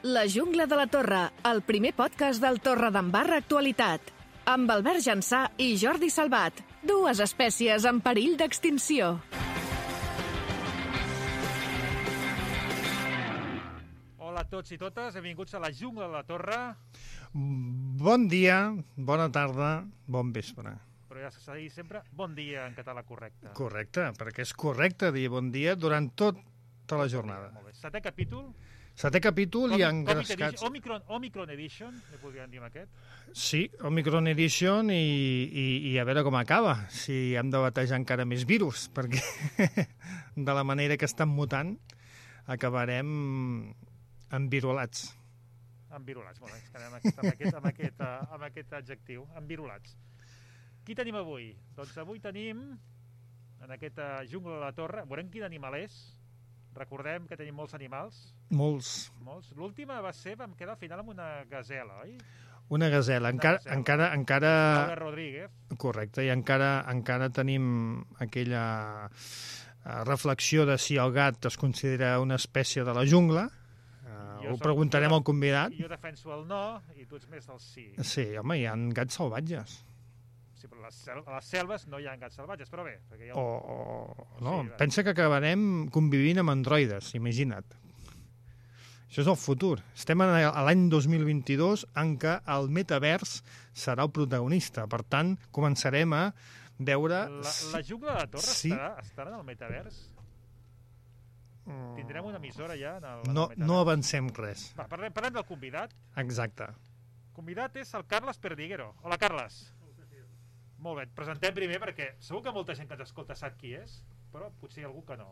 La jungla de la Torre, el primer podcast del Torredembarra Actualitat. Amb Albert Jansà i Jordi Salvat, dues espècies en perill d'extinció. Hola a tots i totes, benvinguts a la jungla de la Torre. Bon dia, bona tarda, bon vespre. Però ja s'ha de dir sempre bon dia en català correcte. Correcte, perquè és correcte dir bon dia durant tota la jornada. Molt bé. Setè capítol. Setè capítol i engrescats. Omicron Edition, ne podríem dir amb aquest? Sí, Omicron Edition i a veure com acaba, si hem de batejar encara més virus, perquè de la manera que estan mutant acabarem envirolats. Envirolats, molt bé, ens quedem amb aquest adjectiu, envirolats. Qui tenim avui? Doncs avui tenim, en aquesta jungla de la Torre, veurem quin animal és. Recordem que tenim molts animals. Molts. L'última va ser, vam quedar al final amb una gasela, oi? Una gasela. Encara... Laura Rodríguez. Correcte, i encara tenim aquella reflexió de si el gat es considera una espècie de la jungla. Ho preguntarem al convidat. Jo defenso el no i tu ets més del sí. Sí, home, hi ha gats salvatges. Sí, però a les selves no hi ha gats salvatges, però bé. Perquè no, sí, pensa que acabarem convivint amb androides, imagina't. Això és el futur. Estem a l'any 2022 en què el metavers serà el protagonista. Per tant, començarem a veure... La jungla de la Torre sí. estarà en el metavers? Tindrem una emissora ja en el metavers? No avancem res. Va, parlem del convidat. Exacte. El convidat és el Carles Perdiguero. Hola, Carles. Molt bé, et presentem primer perquè segur que molta gent que ens escolta sap qui és, però potser hi ha algú que no.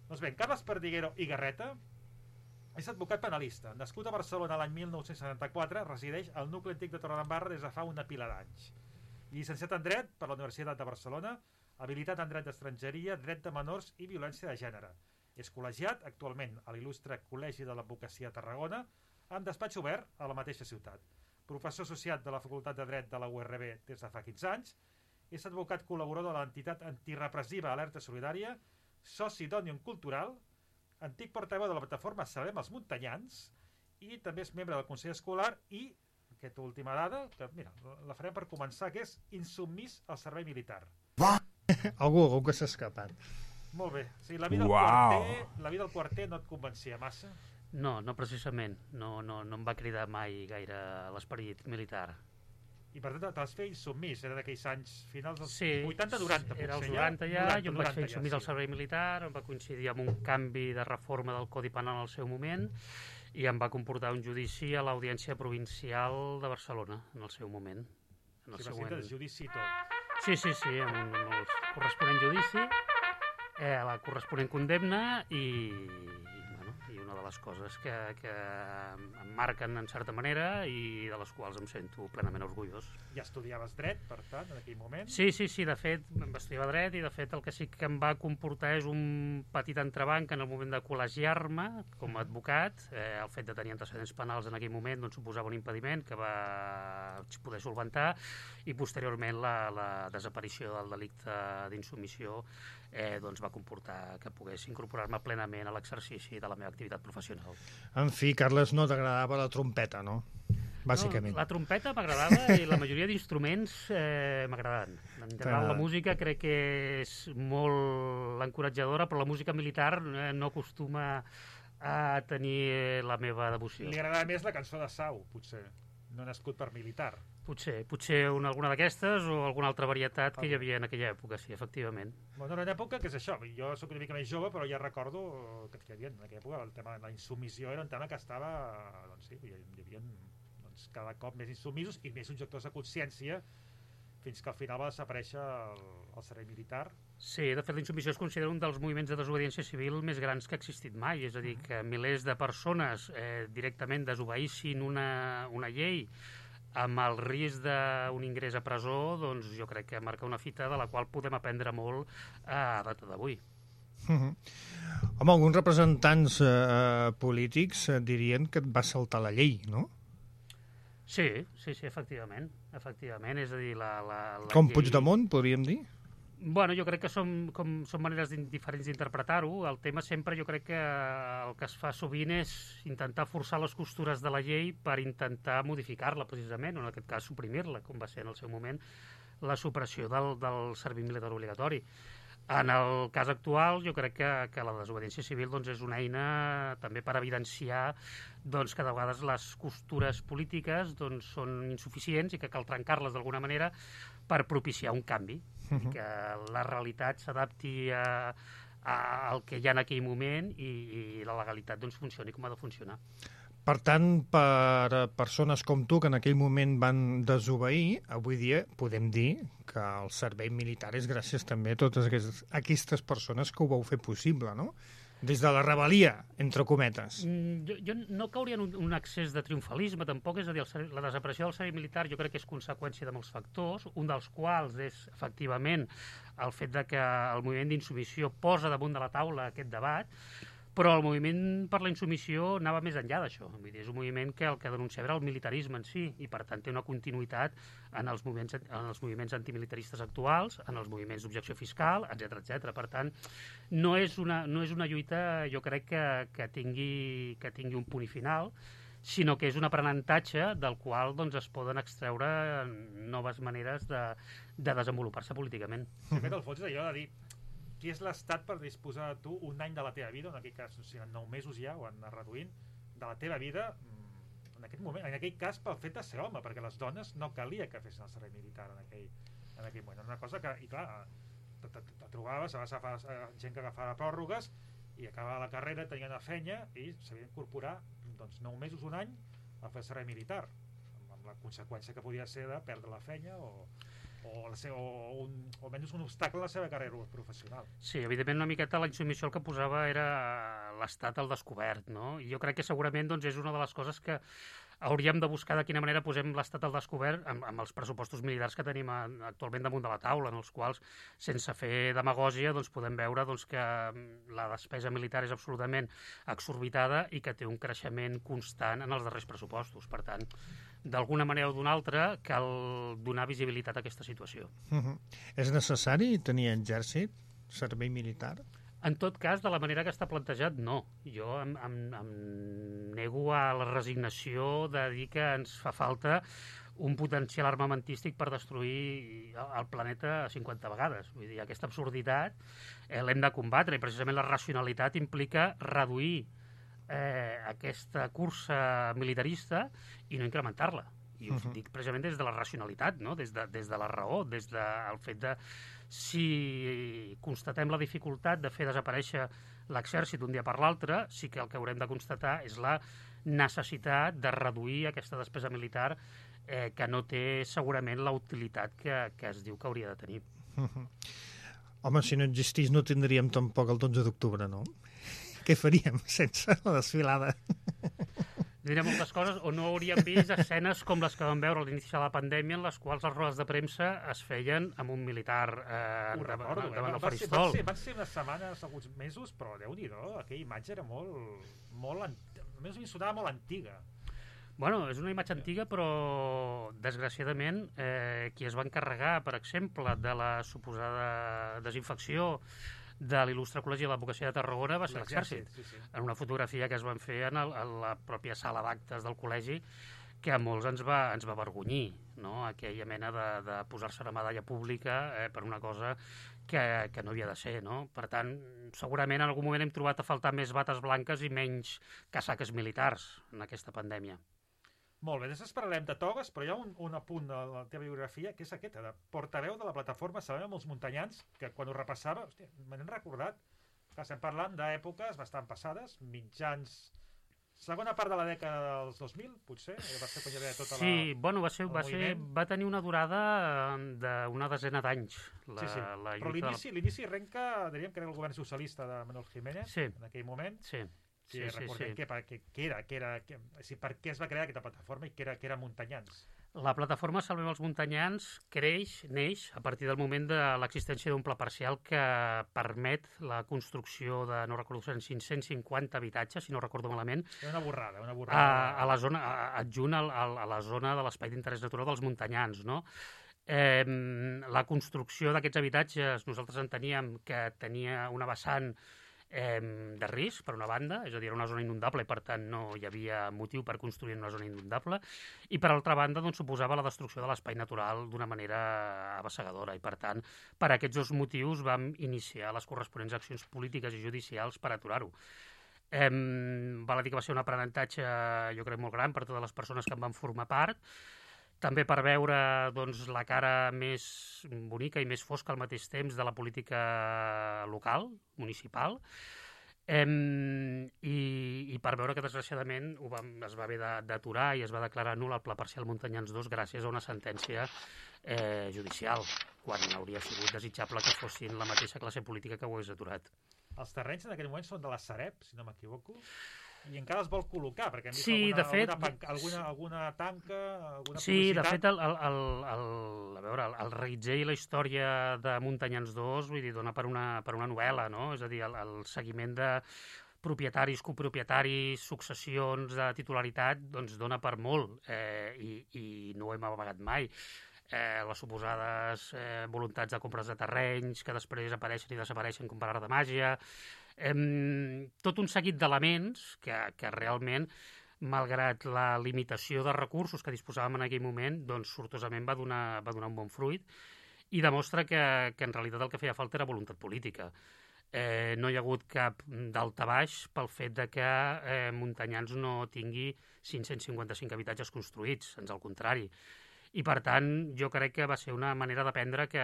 Doncs bé, Carles Perdiguero i Garreta és advocat penalista. Nascut a Barcelona l'any 1974, resideix al nucli antic de Torredembarra des de fa una pila d'anys. Llicenciat en Dret per la Universitat de Barcelona, habilitat en Dret d'Estrangeria, Dret de Menors i Violència de Gènere. És col·legiat actualment a l'il·lustre Col·legi de l'Advocacia de Tarragona, amb despatx obert a la mateixa ciutat. Professor associat de la Facultat de Dret de la URB des de fa 15 anys, és advocat col·laborador de l'entitat antirepressiva Alerta Solidària, soci d'Òmnium Cultural, antic portaveu de la plataforma Salvem els Muntanyans i també és membre del Consell Escolar i, aquesta última dada, que mira, la farem per començar, que és insubmís al servei militar. Algú que s'ha escapat. Molt bé. O sigui, la vida del quarter no et convencia massa? No, precisament. No em va cridar mai gaire l'esperit militar. I per tant te vas fer insubmís, era d'aquells anys finals dels 80-90 potser. Era els 90 ja, jo em vaig fer insubmís al servei militar, em va coincidir amb un canvi de reforma del Codi Penal al seu moment i em va comportar un judici a l'Audiència Provincial de Barcelona en el seu moment. Va ser el judici i tot. Sí, amb el corresponent judici, la corresponent condemna i una de les coses que em marquen en certa manera i de les quals em sento plenament orgullós. Ja estudiaves dret, per tant, en aquell moment? Sí, de fet, em va estudiar dret i de fet el que sí que em va comportar és un petit entrebanc en el moment de col·legiar-me com a advocat. El fet de tenir antecedents penals en aquell moment doncs, suposava un impediment que va poder solventar i posteriorment la desaparició del delicte d'insubmissió doncs va comportar que pogués incorporar-me plenament a l'exercici de la meva activitat professional. En fi, Carles, no t'agradava la trompeta, no? Bàsicament. No, la trompeta m'agradava i la majoria d'instruments m'agradaven. En general, la música crec que és molt encoratjadora, però la música militar no acostuma a tenir la meva devoció. Li agradava més la cançó de Sau, potser. No nascut per militar. Potser alguna d'aquestes o alguna altra varietat que hi havia en aquella època, sí, efectivament. Bueno, era una època que és això, jo soc una mica més jove, però ja recordo que hi havia en aquella època el tema de la insubmissió era un tema que estava, doncs sí, hi havia cada cop més insumisos i més objectors de consciència fins que al final va desaparèixer el servei militar. Sí, de fet la insubmissió es considera un dels moviments de desobediència civil més grans que ha existit mai, és a dir, que milers de persones directament desobeïssin una llei amb el risc d'un ingrés a presó, doncs jo crec que marca una fita de la qual podem aprendre molt a data d'avui. Home, alguns representants polítics dirien que et va saltar la llei, no? Sí, efectivament. És a dir, la com llei... Puigdemont, podríem dir? Bueno, jo crec que són maneres diferents d'interpretar-ho. El tema sempre jo crec que el que es fa sovint és intentar forçar les costures de la llei per intentar modificar-la, precisament, o en aquest cas suprimir-la, com va ser en el seu moment la supressió del servei militar obligatori. En el cas actual, jo crec que la desobediència civil doncs, és una eina també per evidenciar doncs, que de vegades les costures polítiques doncs, són insuficients i que cal trencar-les d'alguna manera per propiciar un canvi, i que la realitat s'adapti al que hi ha en aquell moment i la legalitat doncs, funcioni com ha de funcionar. Per tant, per persones com tu que en aquell moment van desobeir, avui dia podem dir que el servei militar és gràcies també a totes aquestes persones que ho vau fer possible, no? Des de la rebel·lia, entre cometes. Jo no cauria en un excés de triomfalisme, tampoc, és a dir, la desaparició del servei militar jo crec que és conseqüència de molts factors, un dels quals és, efectivament, el fet de que el moviment d'insubmissió posa damunt de la taula aquest debat, però el moviment per la insubmissió anava més enllà d'això. Vull dir, és un moviment que el que denunciava era el militarisme en si, i per tant té una continuïtat en els moviments antimilitaristes actuals, en els moviments d'objecció fiscal, etc. Per tant, no és una lluita, jo crec, que tingui un punt i final, sinó que és un aprenentatge del qual doncs, es poden extreure noves maneres de desenvolupar-se políticament. De fet, el fons és allò de dir qui és l'Estat per disposar de tu un any de la teva vida, en aquell cas, o sigui, en 9 mesos ja ho han anat reduint, de la teva vida en aquest moment, en aquell cas pel fet de ser home, perquè les dones no calia que fessin el servei militar en aquell moment. Una cosa que, i clar, te trobaves, vas agafar gent que agafava pròrrogues i acabava la carrera, tenien una feina i s'havia d'incorporar doncs, 9 mesos, un any a fer el servei militar, amb la conseqüència que podia ser de perdre la feina o almenys un obstacle a la seva carrera professional. Sí, evidentment una miqueta la insubmissió el que posava era l'estat al descobert, no? I jo crec que segurament doncs, és una de les coses que hauríem de buscar de quina manera posem l'estat al descobert amb els pressupostos militars que tenim actualment damunt de la taula, en els quals, sense fer demagògia, doncs, podem veure doncs, que la despesa militar és absolutament exorbitada i que té un creixement constant en els darrers pressupostos. Per tant, d'alguna manera o d'una altra, cal donar visibilitat a aquesta situació. És necessari tenir exèrcit, servei militar? En tot cas, de la manera que està plantejat, no. Jo em nego a la resignació de dir que ens fa falta un potencial armamentístic per destruir el planeta 50 vegades. Vull dir, aquesta absurditat l'hem de combatre i precisament la racionalitat implica reduir aquesta cursa militarista i no incrementar-la. I ho dic precisament des de la racionalitat, no? Des de la raó, des del fet de si constatem la dificultat de fer desaparèixer l'exèrcit d'un dia per l'altre, sí que el que haurem de constatar és la necessitat de reduir aquesta despesa militar que no té segurament la utilitat que es diu que hauria de tenir. Home, si no existís no tindríem tampoc el 12 d'octubre, no? Què faríem sense la desfilada? Diria moltes coses, o no hauríem vist escenes com les que vam veure a l'inici de la pandèmia en les quals les rodes de premsa es feien amb un militar davant del faristol. Van ser unes setmanes, alguns mesos, però Déu-n'hi-do, aquella imatge era molt almenys a mi sonava molt antiga. Bueno, és una imatge antiga, però desgraciadament qui es va encarregar, per exemple, de la suposada desinfecció de l'il·lustre Col·legi de l'Advocacia de Tarragona va ser l'Exèrcit. Sí. En una fotografia que es van fer en la pròpia sala d'actes del col·legi, que a molts ens va avergonyir, no? Aquella mena de posar-se una medalla pública per una cosa que no havia de ser, no? Per tant, segurament en algun moment hem trobat a faltar més bates blanques i menys casaques militars en aquesta pandèmia. Molt bé, després parlarem de togues, però hi ha un apunt de la teva biografia, que és aquesta, de portaveu de la plataforma Salvem els Muntanyans, que quan ho repassava, hòstia, me n'he recordat, que estem parlant d'èpoques bastant passades, mitjans... Segona part de la dècada dels 2000, potser? Va ser quan hi havia tota sí, bueno, va tenir una durada d'una desena d'anys. Sí. Però l'inici arrenca, diríem que era el govern socialista de Manuel Jiménez, en aquell moment. Sí. Sí, recordem què era, per què es va crear aquesta plataforma i què era Muntanyans. La plataforma Salvem els Muntanyans neix a partir del moment de l'existència d'un pla parcial que permet la construcció de, no recordo, 550 habitatges, si no recordo malament. Era una borrada. A la zona, adjunt a la zona de l'espai d'interès natural dels Muntanyans, no? La construcció d'aquests habitatges nosaltres enteníem que tenia una vessant de risc, per una banda, és a dir, era una zona inundable i per tant no hi havia motiu per construir en una zona inundable, i per altra banda doncs, suposava la destrucció de l'espai natural d'una manera avassegadora i per tant per aquests dos motius vam iniciar les corresponents accions polítiques i judicials per aturar-ho. Val a dir que va ser un aprenentatge jo crec molt gran per totes les persones que en van formar part, també per veure doncs, la cara més bonica i més fosca al mateix temps de la política local, municipal, i per veure que desgraciadament es va haver d'aturar i es va declarar nul el Pla Parcial Muntanyans 2 gràcies a una sentència judicial, quan hauria sigut desitjable que fossin la mateixa classe política que ho hagués aturat. Els terrenys en aquell moment són de la Sareb, si no m'equivoco, i encara es vol col·locar, perquè hem vist alguna tanca, alguna publicitat. Sí, de fet, el reguitzell i la història de Muntanyans 2 vull dir, dona per una novel·la, no? És a dir, el seguiment de propietaris, copropietaris, successions de titularitat, doncs dona per molt, i no ho hem amagat mai. Les suposades voluntats de compres de terrenys que després apareixen i desapareixen com per art de màgia, tot un seguit d'elements que realment, malgrat la limitació de recursos que disposàvem en aquell moment, doncs sortosament va donar un bon fruit i demostra que en realitat el que feia falta era voluntat política. No hi ha hagut cap daltabaix pel fet de que Muntanyans no tingui 555 habitatges construïts, ans al contrari. I, per tant, jo crec que va ser una manera d'aprendre que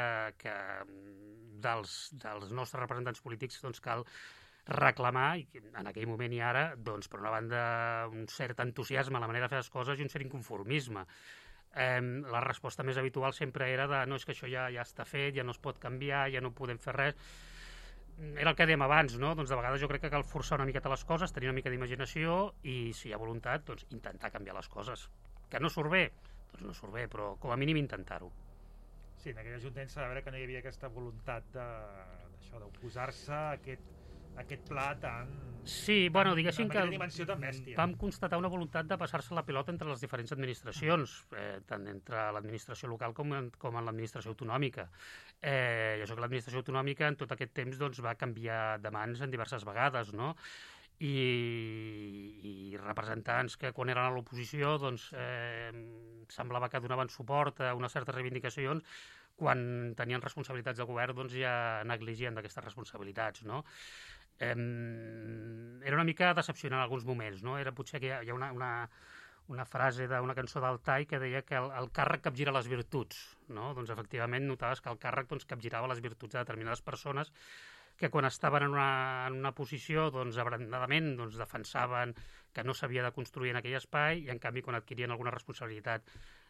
dels nostres representants polítics doncs, cal reclamar, en aquell moment i ara, doncs, per una banda, un cert entusiasme a la manera de fer les coses i un cert inconformisme. La resposta més habitual sempre era de no, és que això ja està fet, ja no es pot canviar, ja no podem fer res. Era el que dèiem abans, no? Doncs de vegades jo crec que cal forçar una miqueta les coses, tenir una mica d'imaginació i, si hi ha voluntat, doncs intentar canviar les coses. Que no surt bé? Doncs no surt bé, però com a mínim intentar-ho. Sí, en aquell ajuntament s'ha de veure que no hi havia aquesta voluntat d'oposar-se a aquest pla tan... Sí, bueno, diguéssim que dimensió tan bèstia. Vam constatar una voluntat de passar-se la pilota entre les diferents administracions, tant entre l'administració local com en l'administració autonòmica. I això que l'administració autonòmica en tot aquest temps doncs, va canviar de mans en diverses vegades, no? I representants que quan eren a l'oposició doncs, semblava que donaven suport a unes certes reivindicacions, quan tenien responsabilitats de govern doncs, ja negligien d'aquestes responsabilitats, no? Era una mica decepcionant en alguns moments, no? Era potser que hi ha una frase d'una cançó d'Altai que deia que el càrrec capgira les virtuts, no? Doncs efectivament notaves que el càrrec doncs, capgirava les virtuts de determinades persones que quan estaven en una posició doncs, abrandadament doncs, defensaven que no s'havia de construir en aquell espai i en canvi quan adquirien alguna responsabilitat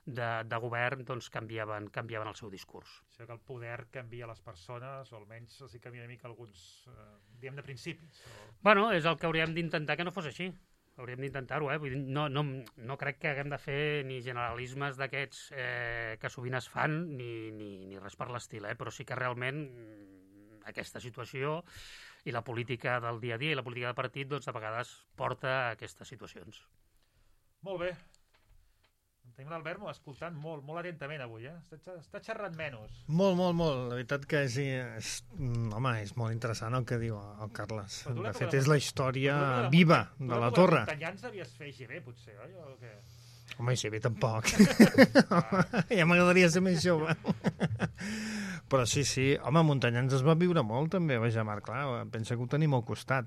de govern doncs, canviaven el seu discurs. Això que el poder canvia les persones o almenys els canvia una mica alguns diguem de principis. Bueno, és el que hauríem d'intentar que no fos així. Hauríem d'intentar-ho, Vull dir, no crec que haguem de fer ni generalismes d'aquests que sovint es fan ni res per l'estil, però sí que realment aquesta situació i la política del dia a dia i la política de partit doncs, de vegades porta a aquestes situacions. Molt bé. Tenim l'Albert escoltant molt atentament avui, Està xerrant menys. Molt. La veritat que és molt interessant el que diu el Carles. De fet, és la història viva de la torre. Muntanyans devies fer GB, potser, oi? O què? Home, GB tampoc. Ja m'agradaria ser més jove. Però sí, home, Muntanyans es va viure molt també, vaja, Marc, clar, pensa que ho tenim al costat.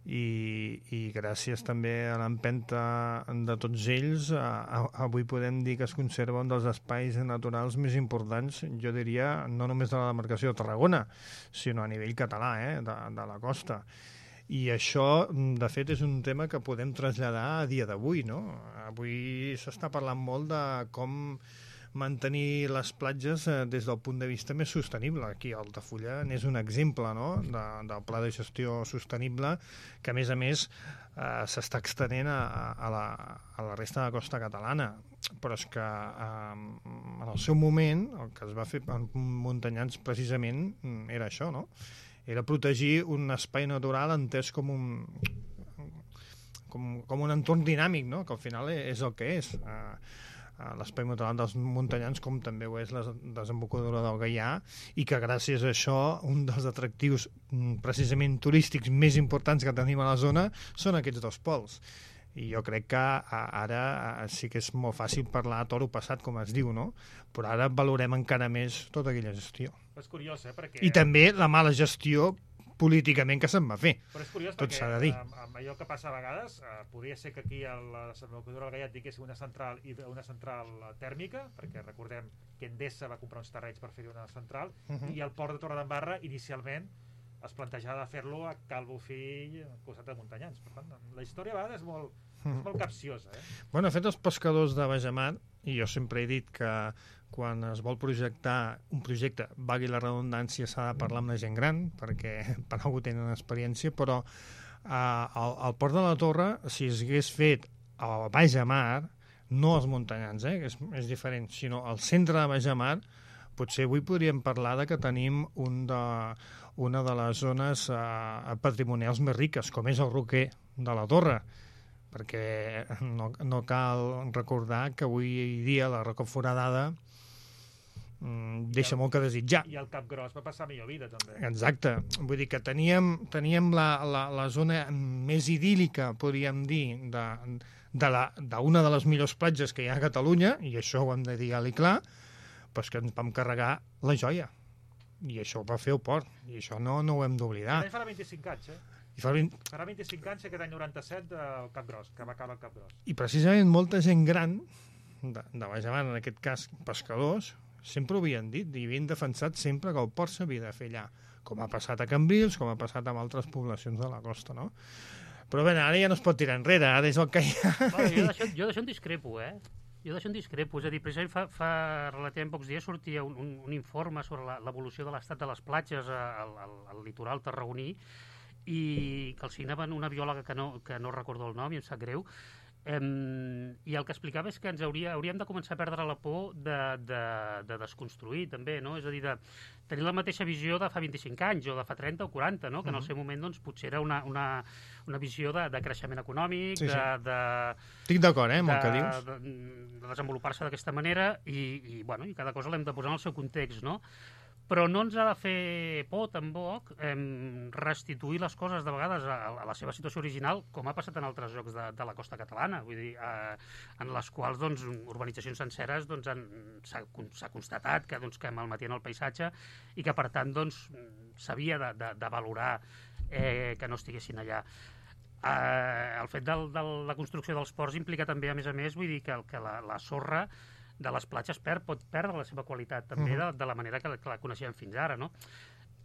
I gràcies també a l'empenta de tots ells, avui podem dir que es conserva un dels espais naturals més importants, jo diria, no només de la demarcació de Tarragona, sinó a nivell català, de la costa. I això, de fet, és un tema que podem traslladar a dia d'avui, no? Avui s'està parlant molt de com mantenir les platges des del punt de vista més sostenible. Aquí a Altafulla n'és un exemple, no?, del pla de gestió sostenible que, a més, s'està extenent a la resta de la costa catalana. Però és que en el seu moment, el que es va fer en Muntanyans precisament era això, no? Era protegir un espai natural entès com un entorn dinàmic, no?, que al final és el que és. l'espai natural dels Muntanyans, com també ho és la desembocadura del Gaià, i que gràcies a això un dels atractius precisament turístics més importants que tenim a la zona són aquests dos pols. I jo crec que ara sí que és molt fàcil parlar a toro passat, com es diu, no? Però ara valorem encara més tota aquella gestió. És curiós, perquè... I també la mala gestió políticament que se'n va fer. Però és curiós tot s'ha de perquè dir. amb allò que passa a vegades podria ser que aquí a la desembocadura del Gaià tinguéssim una central tèrmica, perquè recordem que Endesa va comprar uns terrenys per fer-hi una central, i el port de Torredembarra inicialment es plantejava de fer-lo a Cal Bofill, al costat de Muntanyans. Per tant, la història a vegades és molt capciosa. Bueno, de fet, els pescadors de Bajamar, i jo sempre he dit que quan es vol projectar un projecte, valgui la redundància, s'ha de parlar amb la gent gran, perquè per algú tenen experiència, però al Port de la Torre, si es hagués fet a Bajamar, no als Muntanyans, és diferent, sinó al centre de Bajamar, potser avui podríem parlar de que tenim una de les zones patrimonials més riques, com és el Roquer de la Torre, perquè no cal recordar que avui dia la Roca Foradada deixa molt que desitjar. I el Cap Gros va passar millor vida, també. Exacte. Vull dir que teníem la zona més idíl·lica, podríem dir, d'una de les millors platges que hi ha a Catalunya, i això ho hem de dir alt i clar, però que ens vam carregar la joia. I això ho va fer el port, i això no ho hem d'oblidar. Farà 25 anys, Farà 25 anys aquest any 97 del Cap Gros, que va acabar el Cap Gros. I precisament molta gent gran, de Bajamar, en aquest cas pescadors, sempre ho havien dit i havien defensat sempre que el port s'havia de fer allà, com ha passat a Cambrils, com ha passat amb altres poblacions de la costa, no? Però bé, ara ja no es pot tirar enrere, ara és el que hi ha. Jo d'això en discrepo, Jo d'això en discrepo, és a dir, precisament fa relativament pocs dies sortia un informe sobre l'evolució de l'estat de les platges al litoral tarragoní, i que el signaven una biòloga que no recordo el nom i em sap greu, i el que explicava és que hauríem de començar a perdre la por de desconstruir també, no? És a dir, de tenir la mateixa visió de fa 25 anys o de fa 30 o 40, no? Que en el seu moment doncs, potser era una visió de creixement econòmic, sí. Estic d'acord, amb el que dius. De desenvolupar-se d'aquesta manera i cada cosa l'hem de posar en el seu context, no? Però no ens ha de fer por, tampoc, restituir les coses de vegades a la seva situació original, com ha passat en altres llocs de la costa catalana, vull dir, en les quals doncs, urbanitzacions senceres doncs, s'ha constatat que malmetien el paisatge i que, per tant, doncs, s'havia de valorar que no estiguessin allà. El fet de la construcció dels ports implica també, a més, vull dir que la sorra de les platges pot perdre la seva qualitat també de la manera que la coneixíem fins ara, no?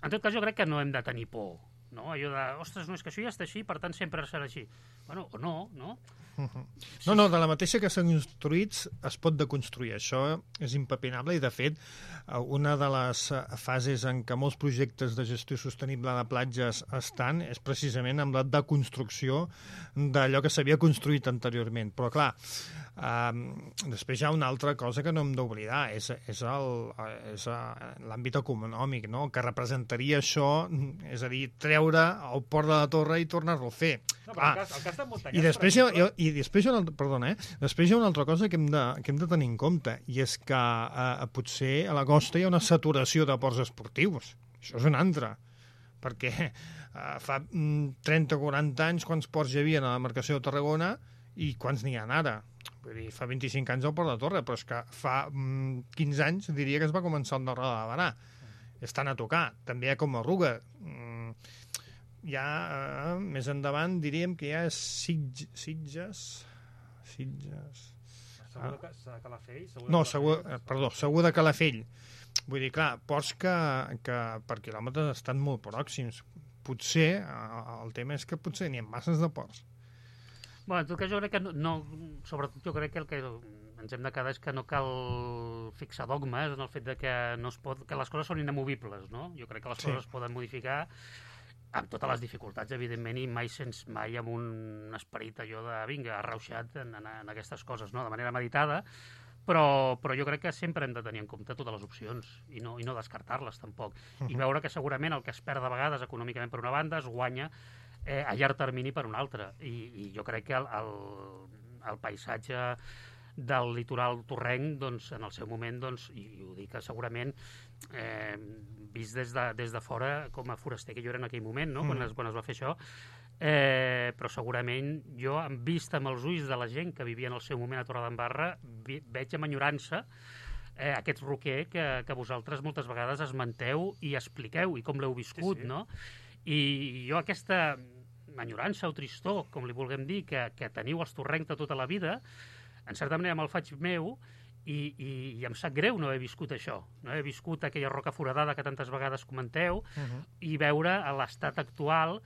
En tot cas, jo crec que no hem de tenir por, no? Allò de, ostres, no, és que això ja està així, per tant sempre serà així. Bueno, o no, no? No, de la mateixa que s'han construït es pot deconstruir, això és impepinable, i de fet una de les fases en què molts projectes de gestió sostenible de platges estan és precisament amb la deconstrucció d'allò que s'havia construït anteriorment, però clar, després hi ha una altra cosa que no hem d'oblidar, és l'àmbit econòmic, no? Que representaria això, és a dir, treure el port de la Torre i tornar-lo a fer. No, però el cas de Muntanyans... I després hi ha una altra cosa que hem de tenir en compte, i és que potser a la costa hi ha una saturació de ports esportius. Això és una altra, perquè fa 30 o 40 anys quants ports hi havia a la demarcació de Tarragona i quants n'hi ha ara. Vull dir, fa 25 anys el Port de Torre, però és que fa 15 anys diria que es va començar el Darrere de Barà. Estan a tocar. També hi ha com a Ruga. Més endavant diríem que hi ha Sitges... Segur de Calafell? Segur de Calafell. Vull dir, clar, ports que per quilòmetres estan molt pròxims. Potser, el tema és que potser n'hi ha masses de ports. Bueno, en tot cas jo crec que no, sobretot jo crec que el que ens hem de quedar és que no cal fixar dogmes en el fet de que que les coses són inamovibles, no? Jo crec que les coses es poden modificar amb totes les dificultats, evidentment, i mai amb un esperit allò de, vinga, arrauxat en aquestes coses, no? De manera meditada, però jo crec que sempre hem de tenir en compte totes les opcions i no descartar-les, tampoc. I veure que segurament el que es perd de vegades econòmicament per una banda es guanya a llarg termini per una altra. I jo crec que el paisatge del litoral torrenc, doncs, en el seu moment, doncs, i ho dic segurament, vist des de fora com a foraster que jo era en aquell moment, no? Quan es va fer això, però segurament jo, vist amb els ulls de la gent que vivia en el seu moment a Torredembarra, veig amb enyorança aquest roquer que vosaltres moltes vegades esmenteu i expliqueu, i com l'heu viscut, no? I jo aquesta enyorança o tristor, com li vulguem dir, que teniu els torrencs de tota la vida, en certa manera me'l faig meu, i em sap greu no haver viscut això, no haver viscut aquella roca foradada que tantes vegades comenteu, i veure l'estat actual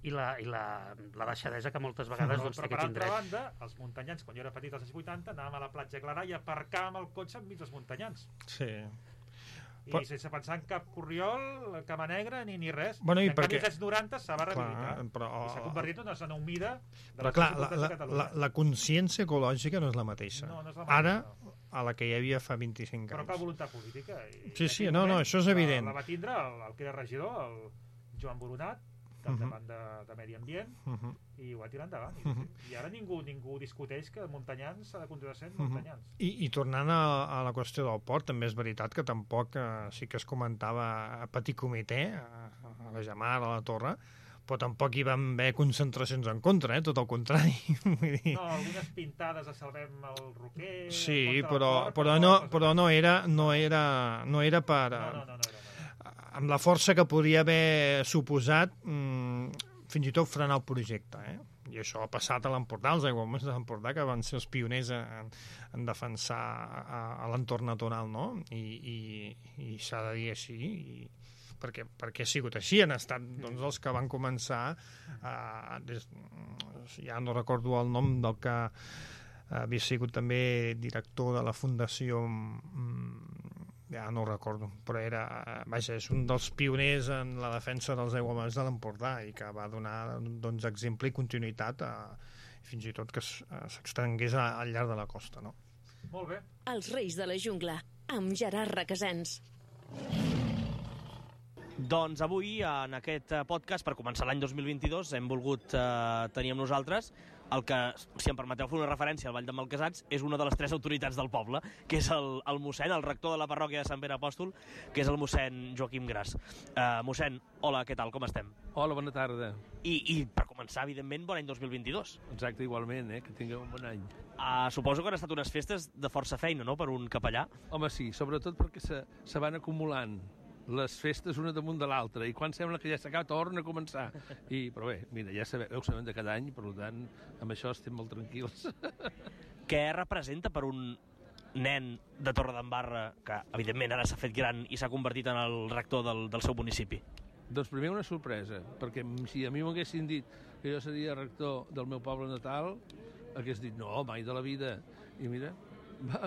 i la deixadesa que moltes vegades té aquest indret. Però per altra banda, els muntanyans, quan jo era petit als anys 80, anàvem a la platja Clarà i aparcàvem el cotxe enmig dels muntanyans. Sí. I sense pensar en cap corriol, cama negra, ni res. Bueno, en canvi, als anys 90 s'ha rehabilitat. I s'ha convertit en una zona humida de però clar, la consciència ecològica no és la mateixa. No és la mateixa. Ara, a la que hi havia fa 25 anys. Però cal voluntat política. Sí, no, això és evident. La va tindre el que era regidor, el Joan Boronat, davant de Medi Ambient, i ho va tirar endavant. I ara ningú discuteix que Montanyans s'ha de continuar sent Montanyans. I tornant a la qüestió del port, també és veritat que tampoc sí que es comentava a petit comitè, a la Gemar, a la Torre, però tampoc hi van haver concentracions en contra, tot el contrari. No, algunes pintades a Salvem el Roquer... Sí, però no era per... No. Amb la força que podria haver suposat fins i tot frenar el projecte, I això ha passat a l'Empordà, els aiguamolls de l'Empordà, que van ser els pioners en defensar a l'entorn natural, no? I s'ha de dir així, perquè ha sigut així, han estat els que van començar, ja no recordo el nom del que havia sigut també director de la Fundació... ja no ho recordo, però és un dels pioners en la defensa dels aiguamolls de l'Empordà i que va donar exemple i continuïtat fins i tot que s'extengués al llarg de la costa, no? Molt bé. Els Reis de la Jungla, amb Gerard Requesens. Doncs avui, en aquest podcast, per començar l'any 2022, hem volgut tenir amb nosaltres el que, si em permeteu fer una referència al Vall de Malcasats, és una de les 3 autoritats del poble, que és el mossèn, el rector de la parròquia de Sant Pere Apòstol, que és el mossèn Joaquim Gras. Mossèn, hola, què tal, com estem? Hola, bona tarda. I per començar, evidentment, bon any 2022. Exacte, igualment, que tingueu un bon any. Suposo que han estat unes festes de força feina, no?, per un capellà. Home, sí, sobretot perquè se van acumulant les festes una damunt de l'altra, i quan sembla que ja s'acaba, torna a començar. Però bé, mira, ja ho sabem de cada any, per tant, amb això estem molt tranquils. Què representa per un nen de Torredembarra, que evidentment ara s'ha fet gran i s'ha convertit en el rector del seu municipi? Doncs primer una sorpresa, perquè si a mi m'haguessin dit que jo seria rector del meu poble natal, hagués dit, no, mai de la vida. I mira,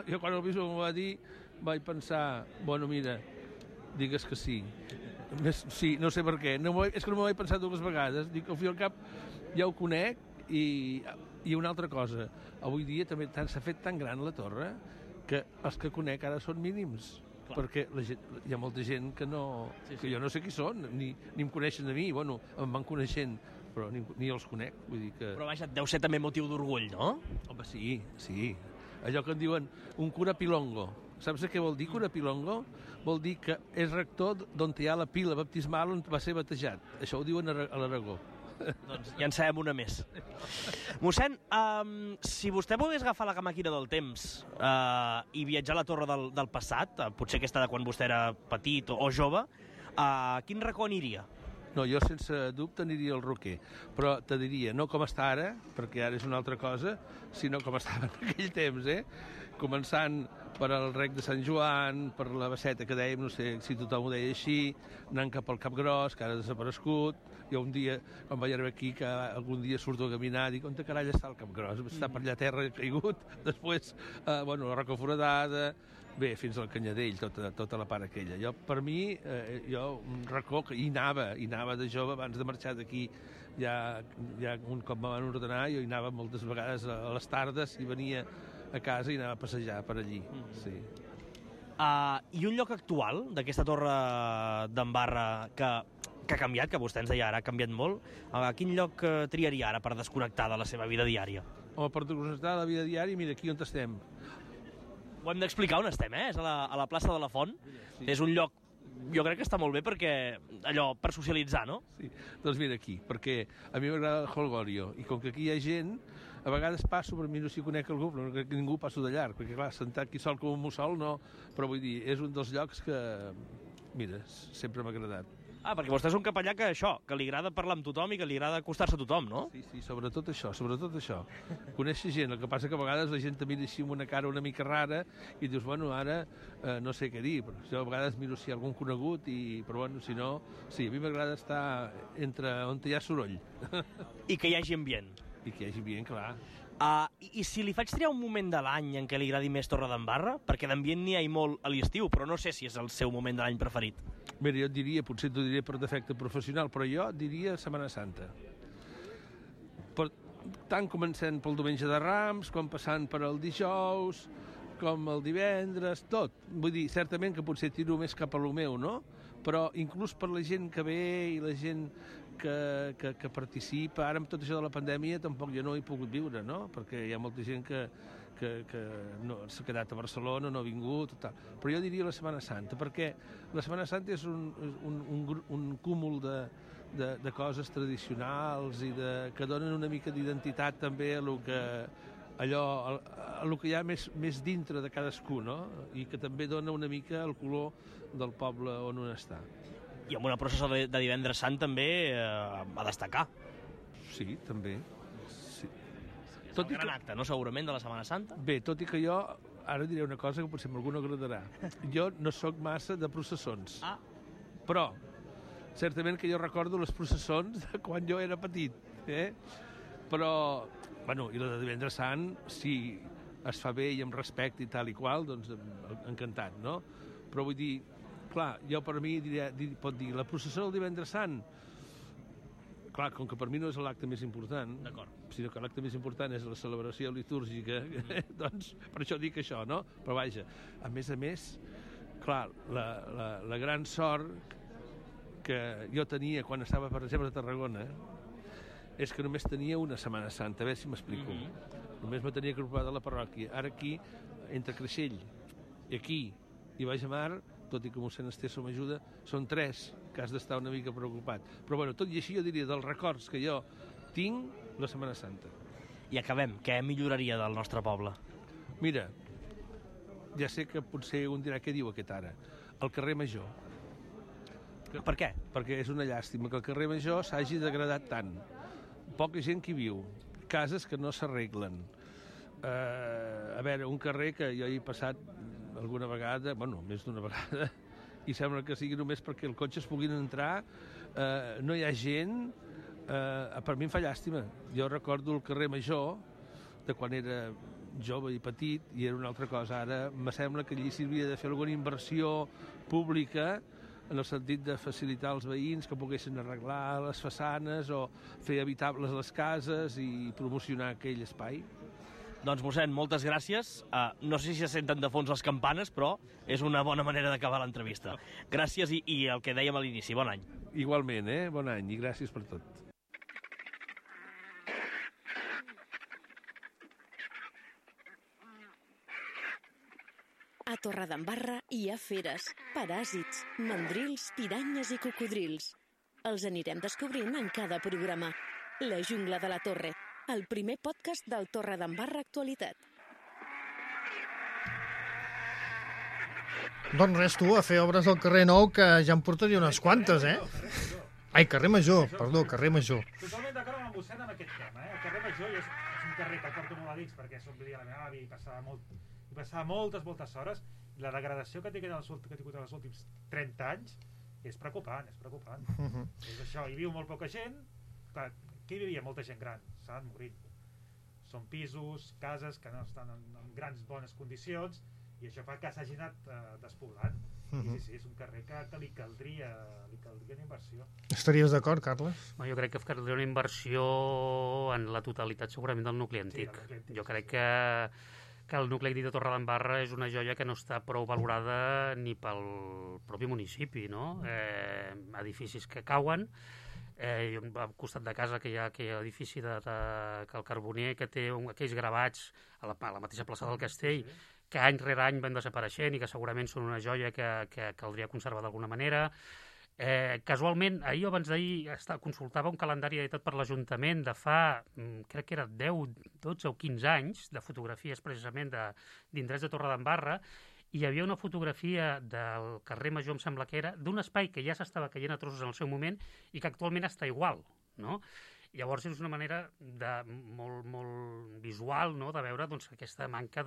jo quan el bisbe m'ho va dir, vaig pensar, bueno, mira, digues que sí. Sí, no sé per què. És que no m'ho he pensat 2 vegades. Dic, al fi i al cap ja ho conec, i una altra cosa. Avui dia també s'ha fet tan gran la torre que els que conec ara són mínims. Clar. Perquè hi ha molta gent que jo no sé qui són, ni em coneixen a mi. Bueno, em van coneixent, però ni els conec. Vull dir que... Però vaja, deu ser també motiu d'orgull, no? Home, sí. Allò que en diuen un cura pilongo. Saps què vol dir, cura pilongo? Vol dir que és rector d'on hi ha la pila baptismal on va ser batejat. Això ho diuen a l'Aragó. Doncs ja en sabem una més. Mossèn, si vostè volgués agafar la màquina del temps i viatjar a la torre del passat, potser aquesta de quan vostè era petit o jove, a quin racó aniria? No, jo sense dubte aniria al Roquer, però te diria, no com està ara, perquè ara és una altra cosa, sinó com estava en aquell temps, començant per al rec de Sant Joan, per la Basseta que dèiem, no sé si tothom ho deia així, anant cap al Cap Gros, que ara ha desaparegut. Jo un dia, quan vaig arribar aquí, que algun dia surto a caminar, dic, on de carall està el Cap Gros? Està per allà a terra caigut, després, la Roca Foradada, bé, fins al Canyadell, tota la part aquella. Jo, per mi, un racó que hi anava de jove abans de marxar d'aquí, ja un cop me van ordenar, jo hi anava moltes vegades a les tardes i venia a casa i anava a passejar per allí. Sí. I un lloc actual d'aquesta torre d'Embarra que ha canviat, que vostè ens deia ara, ha canviat molt, quin lloc triaria ara per desconnectar de la seva vida diària? o per desconnectar la vida diària, mira, aquí on estem. Ho hem d'explicar on estem, És a la plaça de la Font. Sí. És un lloc, jo crec que està molt bé perquè, allò, per socialitzar, no? Sí, doncs mira aquí, perquè a mi m'agrada el Holgorio, i com que aquí hi ha gent, a vegades passo, per mi no s'hi conec algú, però no crec que ningú passo de llarg, perquè clar, sentar aquí sol com un mussol, no, però vull dir, és un dels llocs que, mira, sempre m'ha agradat. Perquè vostè és un capellà que li agrada parlar amb tothom i que li agrada acostar-se a tothom, no? Sí, sobretot això. Conèixer gent, el que passa que a vegades la gent te mira així amb una cara una mica rara i dius, bueno, ara no sé què dir, però jo a vegades miro si hi ha algun conegut, però bueno, si no, sí, a mi m'agrada estar entre on hi ha soroll. I que hi hagi ambient. I que hi hagi ambient, clar. I si li faig triar un moment de l'any en què li agradi més Torredembarra, perquè d'ambient n'hi ha molt a l'estiu, però no sé si és el seu moment de l'any preferit. Mira, jo et diria, potser t'ho diré per defecte professional, però jo diria Setmana Santa. Tant començant pel diumenge de Rams, com passant per el dijous, com el divendres, tot. Vull dir, certament que potser tiro més cap a lo meu, no? Però inclús per la gent que ve i la gent que participa, ara amb tot això de la pandèmia tampoc jo no he pogut viure, no? Perquè hi ha molta gent que no, s'ha quedat a Barcelona, no ha vingut, tal. Però jo diria la Setmana Santa, perquè la Setmana Santa és un cúmul de coses tradicionals i que donen una mica d'identitat també a lo que hi ha més dintre de cadascú, no? I que també dona una mica el color del poble on un està. I amb una processó de divendres sant també a destacar. Sí, també. Sí. És el gran acte, no? Segurament, de la Setmana Santa. Bé, tot i que jo ara diré una cosa que potser a algú no agradarà. Jo no sóc massa de processons. Però, certament que jo recordo les processons de quan jo era petit. Però, bueno, i la de divendres sant, si es fa bé i amb respecte i tal i qual, doncs encantat, no? Però vull dir, clar, jo per mi pot dir la processó del divendres sant, clar, com que per mi no és l'acte més important, sinó que l'acte més important és la celebració litúrgica, doncs per això dic això, no? Però vaja, a més, clar, la gran sort que jo tenia quan estava, per exemple, a Tarragona, és que només tenia una Setmana Santa, a veure si m'explico. Només me tenia que ocupar de la parròquia. Ara aquí, entre Creixell i aquí i Baix a Mar, tot i que mossèn Esteso m'ajuda, són 3 que has d'estar una mica preocupat. Però bueno, tot i així jo diria dels records que jo tinc, la Setmana Santa. I acabem. Què milloraria del nostre poble? Mira, ja sé que potser un dirà què diu aquest ara. El carrer Major. Per què? Perquè és una llàstima que el carrer Major s'hagi degradat tant. Poca gent que hi viu. Cases que no s'arreglen. A veure, un carrer que jo hi he passat alguna vegada, bueno, més d'una vegada, i sembla que sigui només perquè els cotxes puguin entrar, no hi ha gent, per mi em fa llàstima. Jo recordo el carrer Major, de quan era jove i petit, i era una altra cosa. Ara me sembla que allí s'hauria de fer alguna inversió pública en el sentit de facilitar als veïns que poguessin arreglar les façanes o fer habitables les cases i promocionar aquell espai. Doncs, mossèn, moltes gràcies. No sé si se senten de fons les campanes, però és una bona manera d'acabar l'entrevista. Gràcies i el que dèiem a l'inici, bon any. Igualment, bon any i gràcies per tot. A Torredembarra hi ha feres, paràsits, mandrils, piranyes i cocodrils. Els anirem descobrint en cada programa. La jungla de la Torre, el primer podcast del Torredembarra Actualitat. Doncs res, tu, a fer obres al carrer Nou, que ja em portaria unes quantes, Ai, carrer Major, perdó, carrer Major. Totalment d'acord amb el mossèn amb aquest tema, El carrer Major és un carrer que el porto molt a dins perquè som vivia la meva àvia i passava moltes hores, i la degradació que ha tingut en els últims 30 anys és preocupant. És això, hi viu molt poca gent, clar, que hi vivia molta gent gran, s'han morit. Són pisos, cases que no estan en grans bones condicions, i això fa que s'hagi anat despoblant. I sí, és un carrer que li caldria una inversió. Estaries d'acord, Carles? Jo crec que caldria una inversió en la totalitat segurament del nucli antic. Jo crec que el nucli antic de Torredembarra és una joia que no està prou valorada ni pel propi municipi, no? Edificis que cauen, al costat de casa que hi ha aquell edifici que el Carboner, que té aquells gravats a la mateixa plaça del Castell, que any rere any van desapareixent i que segurament són una joia que caldria conservar d'alguna manera. Casualment, ahir o abans d'ahir consultava un calendari editat per l'Ajuntament de fa, crec que era 10, 12 o 15 anys, de fotografies precisament d'indrets de Torredembarra, i hi havia una fotografia del carrer Major, em sembla que era, d'un espai que ja s'estava caient a trossos en el seu moment i que actualment està igual, no? Llavors és una manera molt visual, no?, de veure doncs, aquesta manca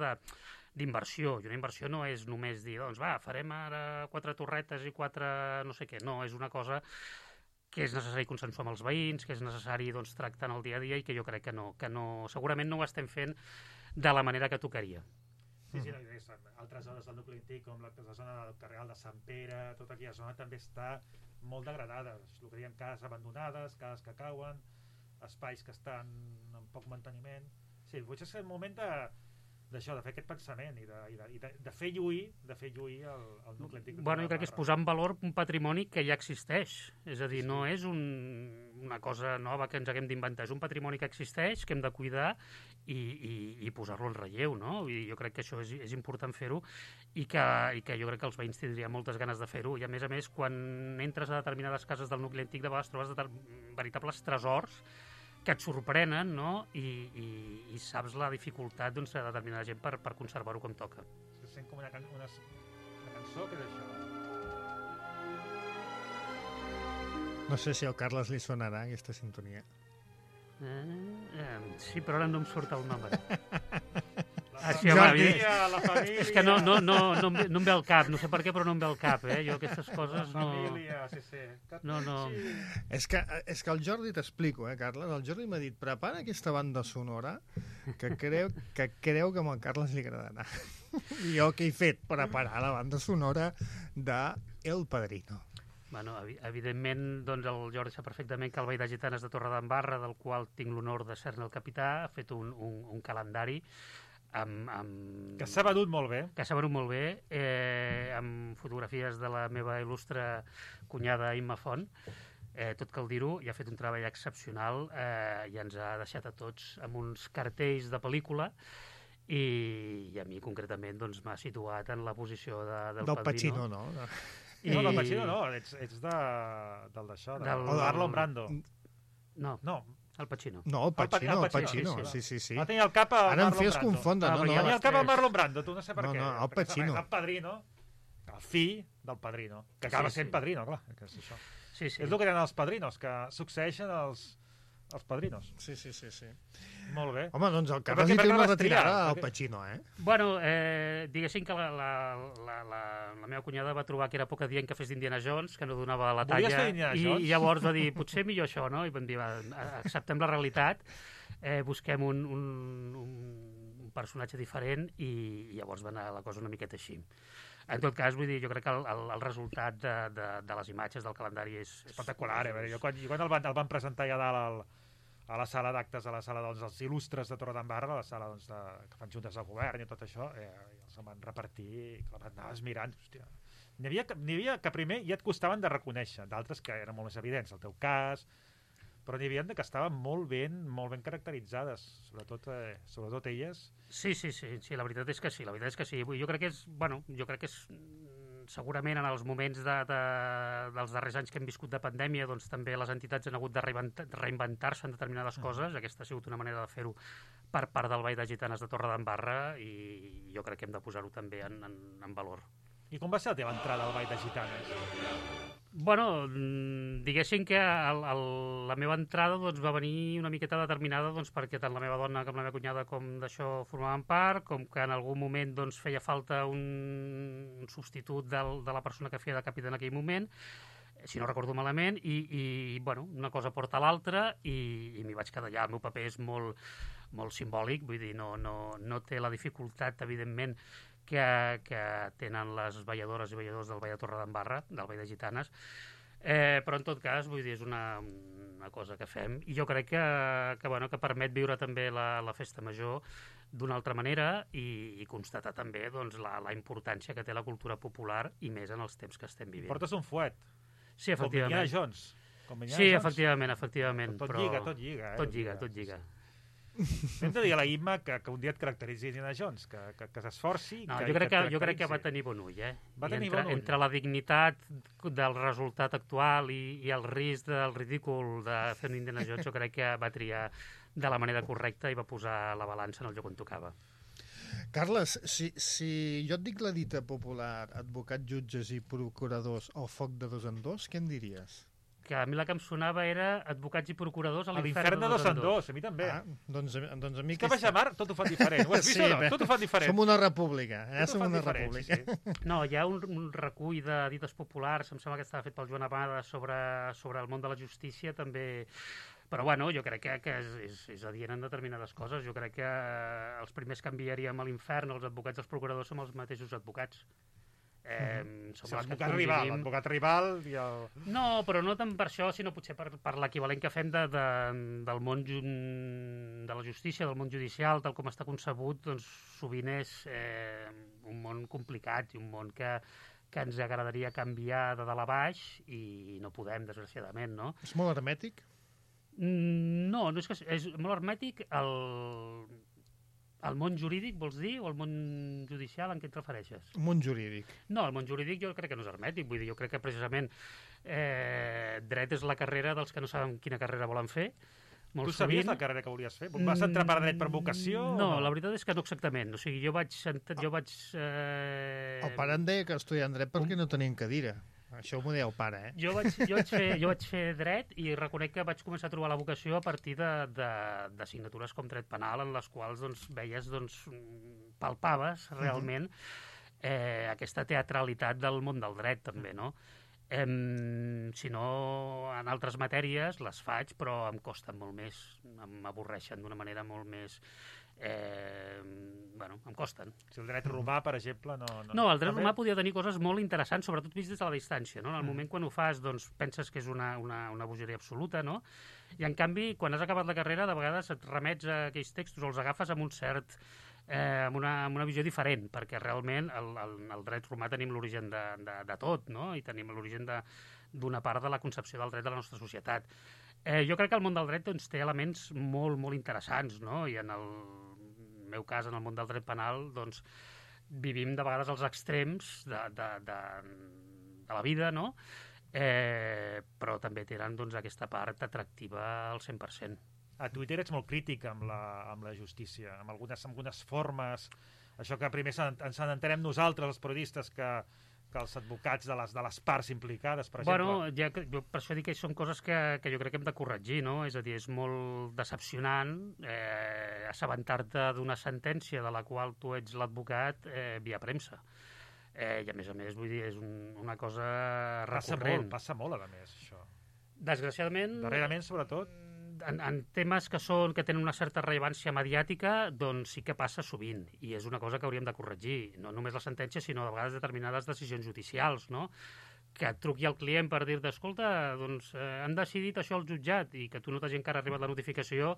d'inversió. I una inversió no és només dir, doncs farem ara 4 torretes i 4 no sé què. No, és una cosa que és necessari consensuar amb els veïns, que és necessari doncs, tractar en el dia a dia i que jo crec que segurament no ho estem fent de la manera que tocaria. Sí, altres zones del nucli antic, com la zona del carrer de Sant Pere, tota aquella zona també està molt degradada. El que diuen cases abandonades, cases que cauen, espais que estan en poc manteniment. Sí, potser és el moment d'això, de fer aquest pensament i de fer lluir el nucli antic. Bueno, jo crec que és posar en valor un patrimoni que ja existeix. És a dir, no és una cosa nova que ens haguem d'inventar, és un patrimoni que existeix, que hem de cuidar i posar-lo en relleu, no? I jo crec que això és important fer-ho i que jo crec que els veïns tindrien moltes ganes de fer-ho. I a més, quan entres a determinades cases del nucli antic, de vegades trobes veritables tresors que et sorprenen, no? I saps la dificultat de determinada gent per conservar-ho com toca. Es sent com una cançó que és això. No sé si al Carles li sonarà aquesta sintonia. Sí, però ara no em surt el nom. La família... És que no em ve al cap, no sé per què, però no em ve al cap, Jo aquestes coses no... La família, sí. No. És que el Jordi, t'explico, Carles, el Jordi m'ha dit, prepara aquesta banda sonora que creu que amb el Carles li agradarà. I jo què he fet? Preparar la banda sonora de El Padrino. Bueno, evidentment, doncs el Jordi sap perfectament que el Ball de Gitanes de Torredembarra, del qual tinc l'honor de ser-ne el capità, ha fet un calendari que s'ha venut molt bé. Amb fotografies de la meva il·lustre cunyada Imma Font. Tot cal dir-ho, i ha fet un treball excepcional i ens ha deixat a tots amb uns cartells de pel·lícula i a mi concretament doncs, m'ha situat en la posició del Padrino. Pacino, no? No, del Pacino no, ets del d'això, del Marlon Brando. No, el Pacino. No, el Pacino. Sí. Va tenir el cap a Marlon Brando. Ara em fes confondre. Va tenir el cap a Marlon Brando, tu no sé per què. No, el Pacino. El Padrino, el fill del Padrino, que acaba sent Padrino, clar. És això. Sí. És el que eren els padrinos, que succeeixen els padrinos. Sí. Molt bé. Home, doncs el Carles li té una retirada al Pacino, Bueno, diguéssim que la meva cunyada va trobar que era poc adient que fes d'Indiana Jones, que no donava la talla, i llavors va dir, potser millor això, no? I vam dir, acceptem la realitat, busquem un personatge diferent i llavors va anar la cosa una miqueta així. En tot cas, vull dir, jo crec que el resultat de les imatges del calendari és espectacular. Jo quan el van presentar ja dalt a la sala d'actes, a la sala dels il·lustres de Torredembarra, a la sala que fan juntes de govern i tot això, els van repartir i anaves mirant. Hòstia. N'hi havia que primer ja et costaven de reconèixer, d'altres que eren molt més evidents, el teu cas, però n'hi havia que estaven molt ben caracteritzades, sobretot elles. Sí, la veritat és que sí. Jo crec que és segurament en els moments dels darrers anys que hem viscut de pandèmia, doncs també les entitats han hagut de reinventar-se en determinades coses. Aquesta ha sigut una manera de fer-ho per part del Ball de Gitanes de Torredembarra i jo crec que hem de posar-ho també en valor. I com va ser la teva entrada al Ball de Gitanes? Bueno, diguéssim que la meva entrada va venir una miqueta determinada perquè tant la meva dona com la meva cunyada com d'això formaven part, com que en algun moment feia falta un substitut de la persona que feia de capità en aquell moment, si no recordo malament, i una cosa porta a l'altra i m'hi vaig quedar allà. El meu paper és molt simbòlic, vull dir, no té la dificultat, evidentment, que tenen les balladores i balladors del Ball de Torredembarra, del Ball de Gitanes, però en tot cas, vull dir, és una cosa que fem i jo crec que permet viure també la festa major d'una altra manera i constatar també la importància que té la cultura popular i més en els temps que estem vivint. Portes un fuet. Sí, efectivament. Com Indiana Jones. Sí, efectivament. Tot lliga. Tot lliga. Hem de dir a la Imma que un dia et caracteritzi Indiana Jones, que s'esforci... No, jo crec que va tenir bon ull, Va tenir bon ull. Entre la dignitat del resultat actual i el risc del ridícul de fer un Indiana Jones, jo crec que va triar de la manera correcta i va posar la balança en el lloc on tocava. Carles, si jo et dic la dita popular advocats, jutges i procuradors al foc de dos en dos, què em diries? Que a mi la que em sonava era advocats i procuradors a l'infern de dos en dos, a mi també. Doncs a mi... És que a Baixamar tot ho fan diferent. Ho has vist o no? Tot ho fan diferent. Som una república. Som una república. Sí. No, hi ha un recull de dites populars, em sembla que estava fet pel Joan Amada sobre el món de la justícia, també... Però, bueno, jo crec que és adient en determinades coses. Jo crec que els primers que enviaríem a l'infern, els advocats i els procuradors, som els mateixos advocats. L'advocat rival i el... No, però no tant per això, sinó potser per l'equivalent que fem del món de la justícia, del món judicial, tal com està concebut, doncs sovint és un món complicat i un món que ens agradaria canviar de dalt a baix i no podem, desgraciadament, no? És molt hermètic? No és que és molt hermètic el món jurídic, vols dir, o el món judicial, en què et refereixes? El món jurídic. No, el món jurídic jo crec que no és hermètic, vull dir, jo crec que precisament dret és la carrera dels que no saben quina carrera volen fer. Tu sabies la carrera que volies fer? Vas entrar per dret per vocació? No, la veritat és que no exactament. O sigui, jo vaig... El pare em deia que estudiant dret perquè no tenien cadira. Això ho deia el pare, eh? Jo vaig fer dret i reconec que vaig començar a trobar la vocació a partir d'assignatures com dret penal, en les quals veies, palpaves realment aquesta teatralitat del món del dret, també, no? Si no, en altres matèries les faig, però em costen molt més, m'avorreixen d'una manera molt més... em costen. Si el dret romà, per exemple, no, el dret romà podia tenir coses molt interessants, sobretot vist des de la distància, no? En el moment quan ho fas, doncs, penses que és una bogeria absoluta, no? I, en canvi, quan has acabat la carrera, de vegades et remets a aquells textos o els agafes amb un cert... amb una visió diferent, perquè realment el dret romà tenim l'origen de tot, no? I tenim l'origen d'una part de la concepció del dret de la nostra societat. Jo crec que el món del dret té elements molt, molt interessants, no? I en el meu cas, en el món del dret penal, doncs, vivim de vegades als extrems de la vida, no? Però també tenen aquesta part atractiva al 100%. A Twitter ets molt crític amb la justícia, amb algunes formes, això que primer ens n'entenem nosaltres, els periodistes, que els advocats de les parts implicades, per exemple. Jo per això dic que són coses que jo crec que hem de corregir, no? És a dir, és molt decepcionant assabentar-te d'una sentència de la qual tu ets l'advocat via premsa. I a més, vull dir, és una cosa recurrent. Passa molt, a més, això. Desgraciadament... Darrerament, sobretot... En temes que tenen una certa rellevància mediàtica, doncs sí que passa sovint, i és una cosa que hauríem de corregir. No només la sentència, sinó de vegades determinades decisions judicials, no? Que et truqui el client per dir-te, escolta, doncs han decidit això al jutjat, i que tu no t'hagi encara arribat la notificació,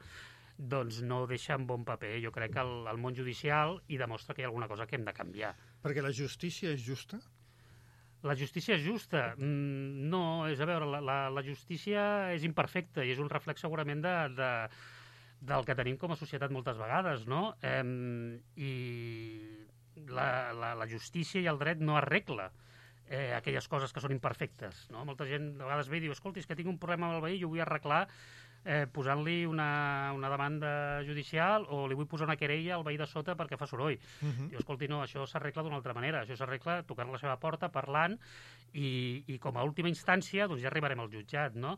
doncs no ho deixa en bon paper. Jo crec que el món judicial hi demostra que hi ha alguna cosa que hem de canviar. Perquè la justícia és justa? La justícia és justa? No, és a veure, la justícia és imperfecta i és un reflex segurament del que tenim com a societat moltes vegades, no? I la justícia i el dret no arregla aquelles coses que són imperfectes, no? Molta gent de vegades ve i diu, escolta, és que tinc un problema amb el veí i ho vull arreglar posant-li una demanda judicial o li vull posar una querella al veí de sota perquè fa soroll. Diu, escolti, no, això s'arregla d'una altra manera. Això s'arregla tocant la seva porta, parlant, i com a última instància doncs ja arribarem al jutjat, no?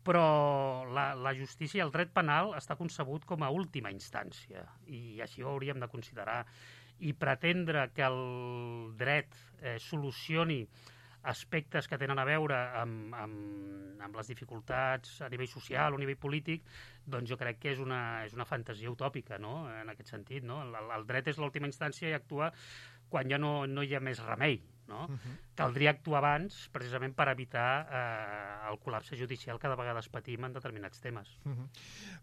Però la justícia i el dret penal està concebut com a última instància, i així ho hauríem de considerar. I pretendre que el dret solucioni aspectes que tenen a veure amb les dificultats a nivell social o a nivell polític, doncs jo crec que és una fantasia utòpica, no? En aquest sentit, no? El dret és l'última instància i actua quan ja no hi ha més remei, no? Caldria actuar abans, precisament per evitar el col·lapse judicial que de vegades patim en determinats temes.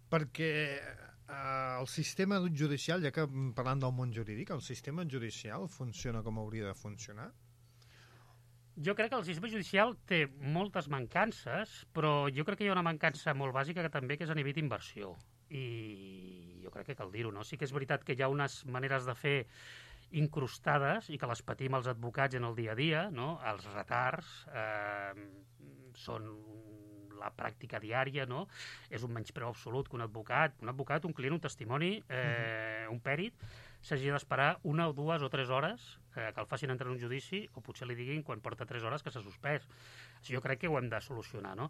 Perquè el sistema judicial, ja que parlant del món jurídic, el sistema judicial funciona com hauria de funcionar? Jo crec que el sistema judicial té moltes mancances, però jo crec que hi ha una mancança molt bàsica que també que és a nivell d'inversió. I jo crec que cal dir-ho, no? Sí que és veritat que hi ha unes maneres de fer incrustades i que les patim els advocats en el dia a dia, no? Els retards són la pràctica diària, no? És un menyspreu absolut que un advocat, un client, un testimoni, un pèrit, s'hagi d'esperar 1 o 2 o 3 hores que el facin entrar en un judici, o potser li diguin quan porta 3 hores que s'ha suspès. Jo crec que ho hem de solucionar, no?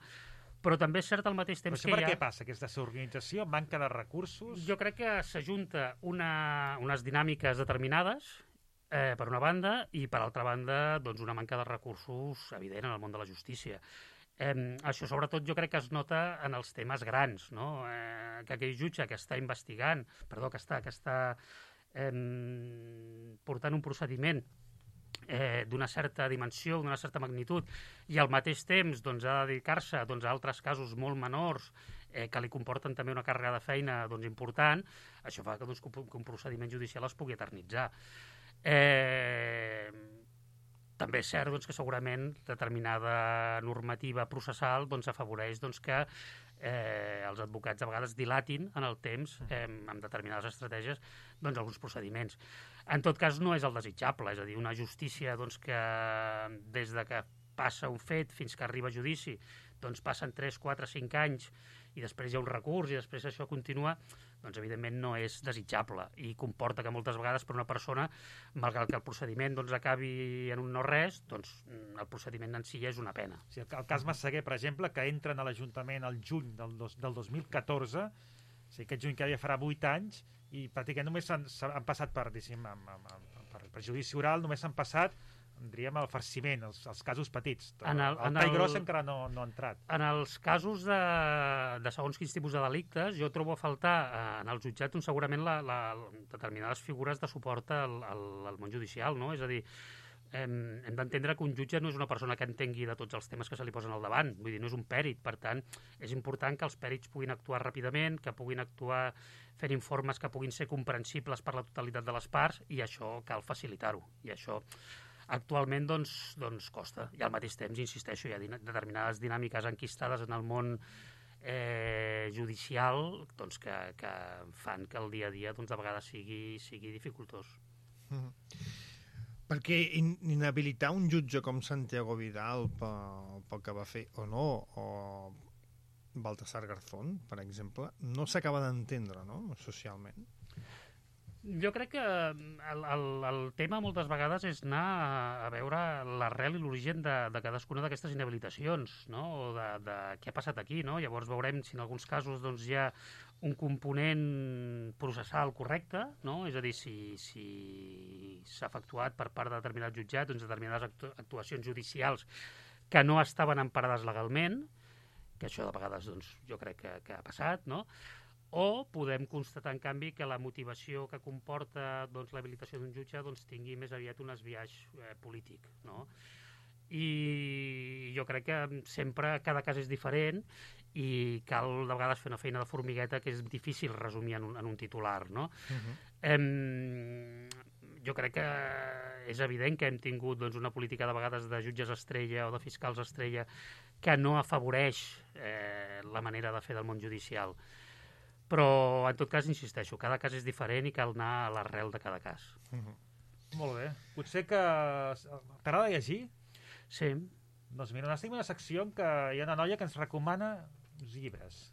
Però també és cert al mateix temps que hi ha... Per què passa? Aquesta desorganització, manca de recursos? Jo crec que s'ajunta unes dinàmiques determinades, per una banda, i per altra banda, doncs una manca de recursos evident en el món de la justícia. Això sobretot jo crec que es nota en els temes grans, no? Que aquell jutge que està investigant, que està portant un procediment d'una certa dimensió, d'una certa magnitud, i al mateix temps doncs, ha de dedicar-se a altres casos molt menors que li comporten també una càrrega de feina important, això fa que un procediment judicial es pugui eternitzar. També és cert que segurament determinada normativa processal afavoreix que els advocats a vegades dilatin en el temps amb determinades estratègies alguns procediments. En tot cas, no és el desitjable, és a dir, una justícia que des de que passa un fet fins que arriba a judici passen 3, 4, 5 anys i després hi ha un recurs i després això continua, evidentment no és desitjable i comporta que moltes vegades per una persona, malgrat que el procediment acabi en un no-res, el procediment en si és una pena. Sí, el cas Massaguer, per exemple, que entren a l'Ajuntament al juny del 2014, aquest juny que ja farà 8 anys, i pràcticament només han passat per judici oral, només han passat diríem el farciment, els casos petits. El tall gros encara no ha entrat. En els casos de segons quins tipus de delictes, jo trobo a faltar en el jutjat segurament determinades figures de suport al món judicial, no? És a dir, hem d'entendre que un jutge no és una persona que entengui de tots els temes que se li posen al davant, vull dir, no és un pèrit, per tant, és important que els pèrits puguin actuar ràpidament, que puguin actuar fent informes que puguin ser comprensibles per la totalitat de les parts, i això cal facilitar-ho, i això actualment costa, i al mateix temps, insisteixo, hi ha determinades dinàmiques enquistades en el món judicial que fan que el dia a dia de vegades sigui dificultós. Perquè inhabilitar un jutge com Santiago Vidal pel que va fer o no, o Baltasar Garzón, per exemple, no s'acaba d'entendre, no?, socialment. Jo crec que el tema moltes vegades és anar a veure l'arrel i l'origen de cadascuna d'aquestes inhabilitacions, no? O de què ha passat aquí, no? Llavors veurem si en alguns casos hi ha un component processal correcte, no? És a dir, si s'ha efectuat per part de determinats jutjats determinades actuacions judicials que no estaven emparades legalment, que això de vegades jo crec que ha passat, no? O podem constatar, en canvi, que la motivació que comporta l'habilitació d'un jutge tingui més aviat un esbiaix polític, no? I jo crec que sempre cada cas és diferent i cal de vegades fer una feina de formigueta que és difícil resumir en un titular, no? Jo crec que és evident que hem tingut una política de vegades de jutges estrella o de fiscals estrella que no afavoreix la manera de fer del món judicial. Però, en tot cas, insisteixo, cada cas és diferent i cal anar a l'arrel de cada cas. Molt bé. Potser que t'agrada llegir? Sí. Doncs mira, estic en una secció en què hi ha una noia que ens recomana uns llibres.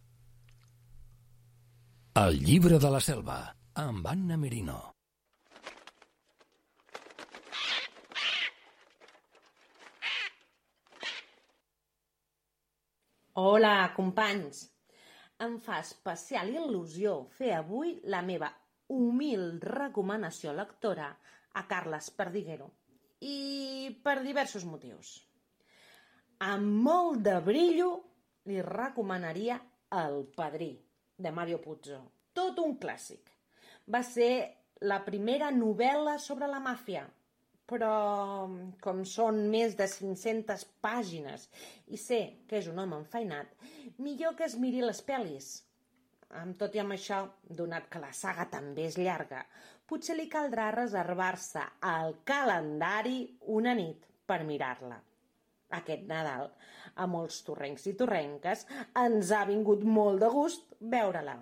El llibre de la selva, amb Anna Merino. Hola, companys. Em fa especial il·lusió fer avui la meva humil recomanació lectora a Carles Perdiguero, i per diversos motius. Amb molt de brillo li recomanaria El Padrí, de Mario Puzo. Tot un clàssic. Va ser la primera novel·la sobre la màfia, però com són més de 500 pàgines i sé que és un home enfeinat, millor que es miri les pel·lis. Amb tot i amb això, donat que la saga també és llarga, potser li caldrà reservar-se al calendari una nit per mirar-la. aquest Nadal. A molts torrencs i torrenques ens ha vingut molt de gust veure-la.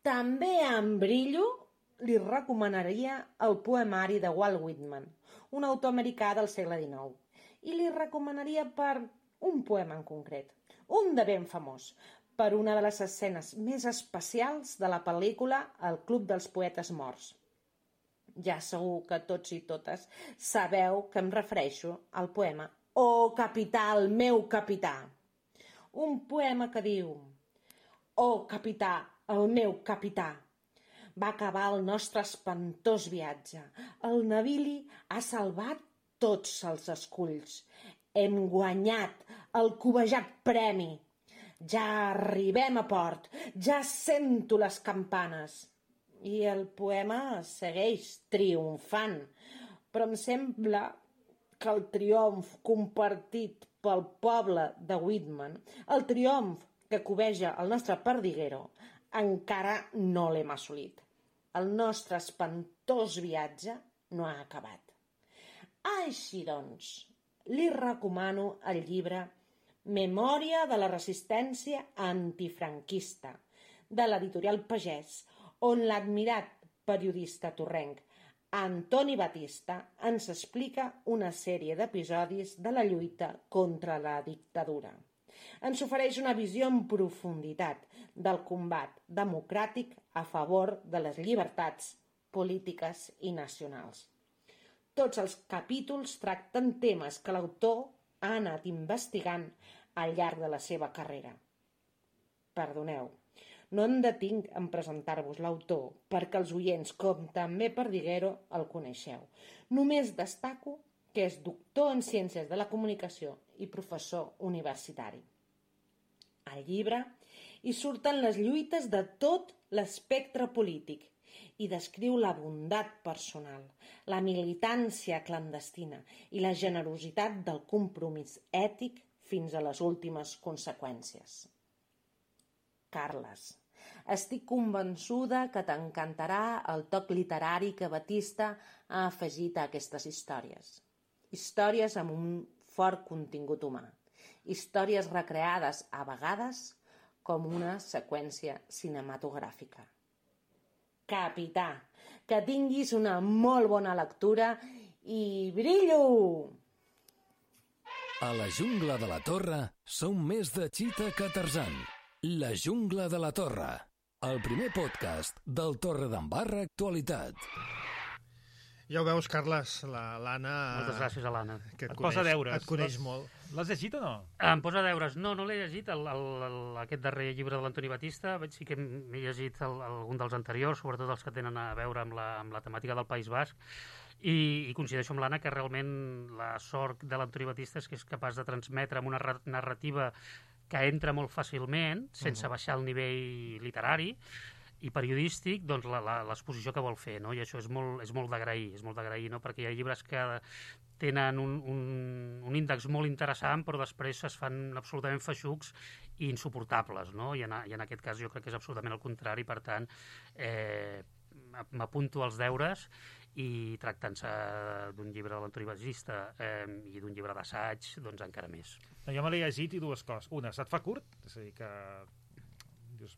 També en Brillo li recomanaria el poemari de Walt Whitman, un autor americà del segle XIX, i li recomanaria per un poema en concret, un de ben famós, per una de les escenes més especials de la pel·lícula El Club dels Poetes Morts. Ja segur que tots i totes sabeu que em refereixo al poema «Oh, capità, el meu capità!». Un poema que diu «Oh, capità, el meu capità! Va acabar el nostre espantós viatge. El navili ha salvat tots els esculls. Hem guanyat el cobejat premi. Ja arribem a port, ja sento les campanes». I el poema segueix triomfant, però em sembla que el triomf compartit pel poble de Whitman, el triomf que cobeja el nostre perdiguero, encara no l'hem assolit. El nostre espantós viatge no ha acabat. Així doncs, li recomano el llibre Memòria de la resistència antifranquista, de l'editorial Pagès, on l'admirat periodista torrenc Antoni Batista ens explica una sèrie d'episodis de la lluita contra la dictadura. Ens ofereix una visió en profunditat del combat democràtic a favor de les llibertats polítiques i nacionals. Tots els capítols tracten temes que l'autor ha anat investigant al llarg de la seva carrera. Perdoneu, no em detinc en presentar-vos l'autor perquè els oients, com també Perdiguero, el coneixeu. Només destaco que és doctor en Ciències de la Comunicació i professor universitari. Al llibre hi surten les lluites de tot l'espectre polític i descriu la bondat personal, la militància clandestina i la generositat del compromís ètic fins a les últimes conseqüències. Carles, estic convençuda que t'encantarà el toc literari que Batista ha afegit a aquestes històries. Històries amb un fort contingut humà. Històries recreades a vegades com una seqüència cinematogràfica. Capità, que tinguis una molt bona lectura i brillo! A la jungla de la Torre som més de Cheetah que Tarzan. La jungla de la Torre, el primer podcast del Torredembarra Actualitat. Ja ho veus, Carles, l'Anna... Moltes gràcies a l'Anna. Et posa deures. Et coneix molt. L'has llegit o no? Em posa deures. No l'he llegit, aquest darrer llibre de l'Antoni Batista. Sí que m'he llegit algun dels anteriors, sobretot els que tenen a veure amb la temàtica del País Basc, i coincideixo amb l'Anna que realment la sort de l'Antoni Batista és que és capaç de transmetre amb una narrativa que entra molt fàcilment, sense baixar el nivell literari i periodístic, doncs l'exposició que vol fer, no? I això és molt d'agrair, no? Perquè hi ha llibres que tenen un índex molt interessant, però després es fan absolutament feixucs i insuportables, no? I en aquest cas jo crec que és absolutament el contrari, per tant, m'apunto als deures i tractant-se d'un llibre de l'Antoni Batista i d'un llibre d'assaig, doncs encara més. Jo me l'he llegit i dues coses. Una, se't fa curt, és a dir que dius,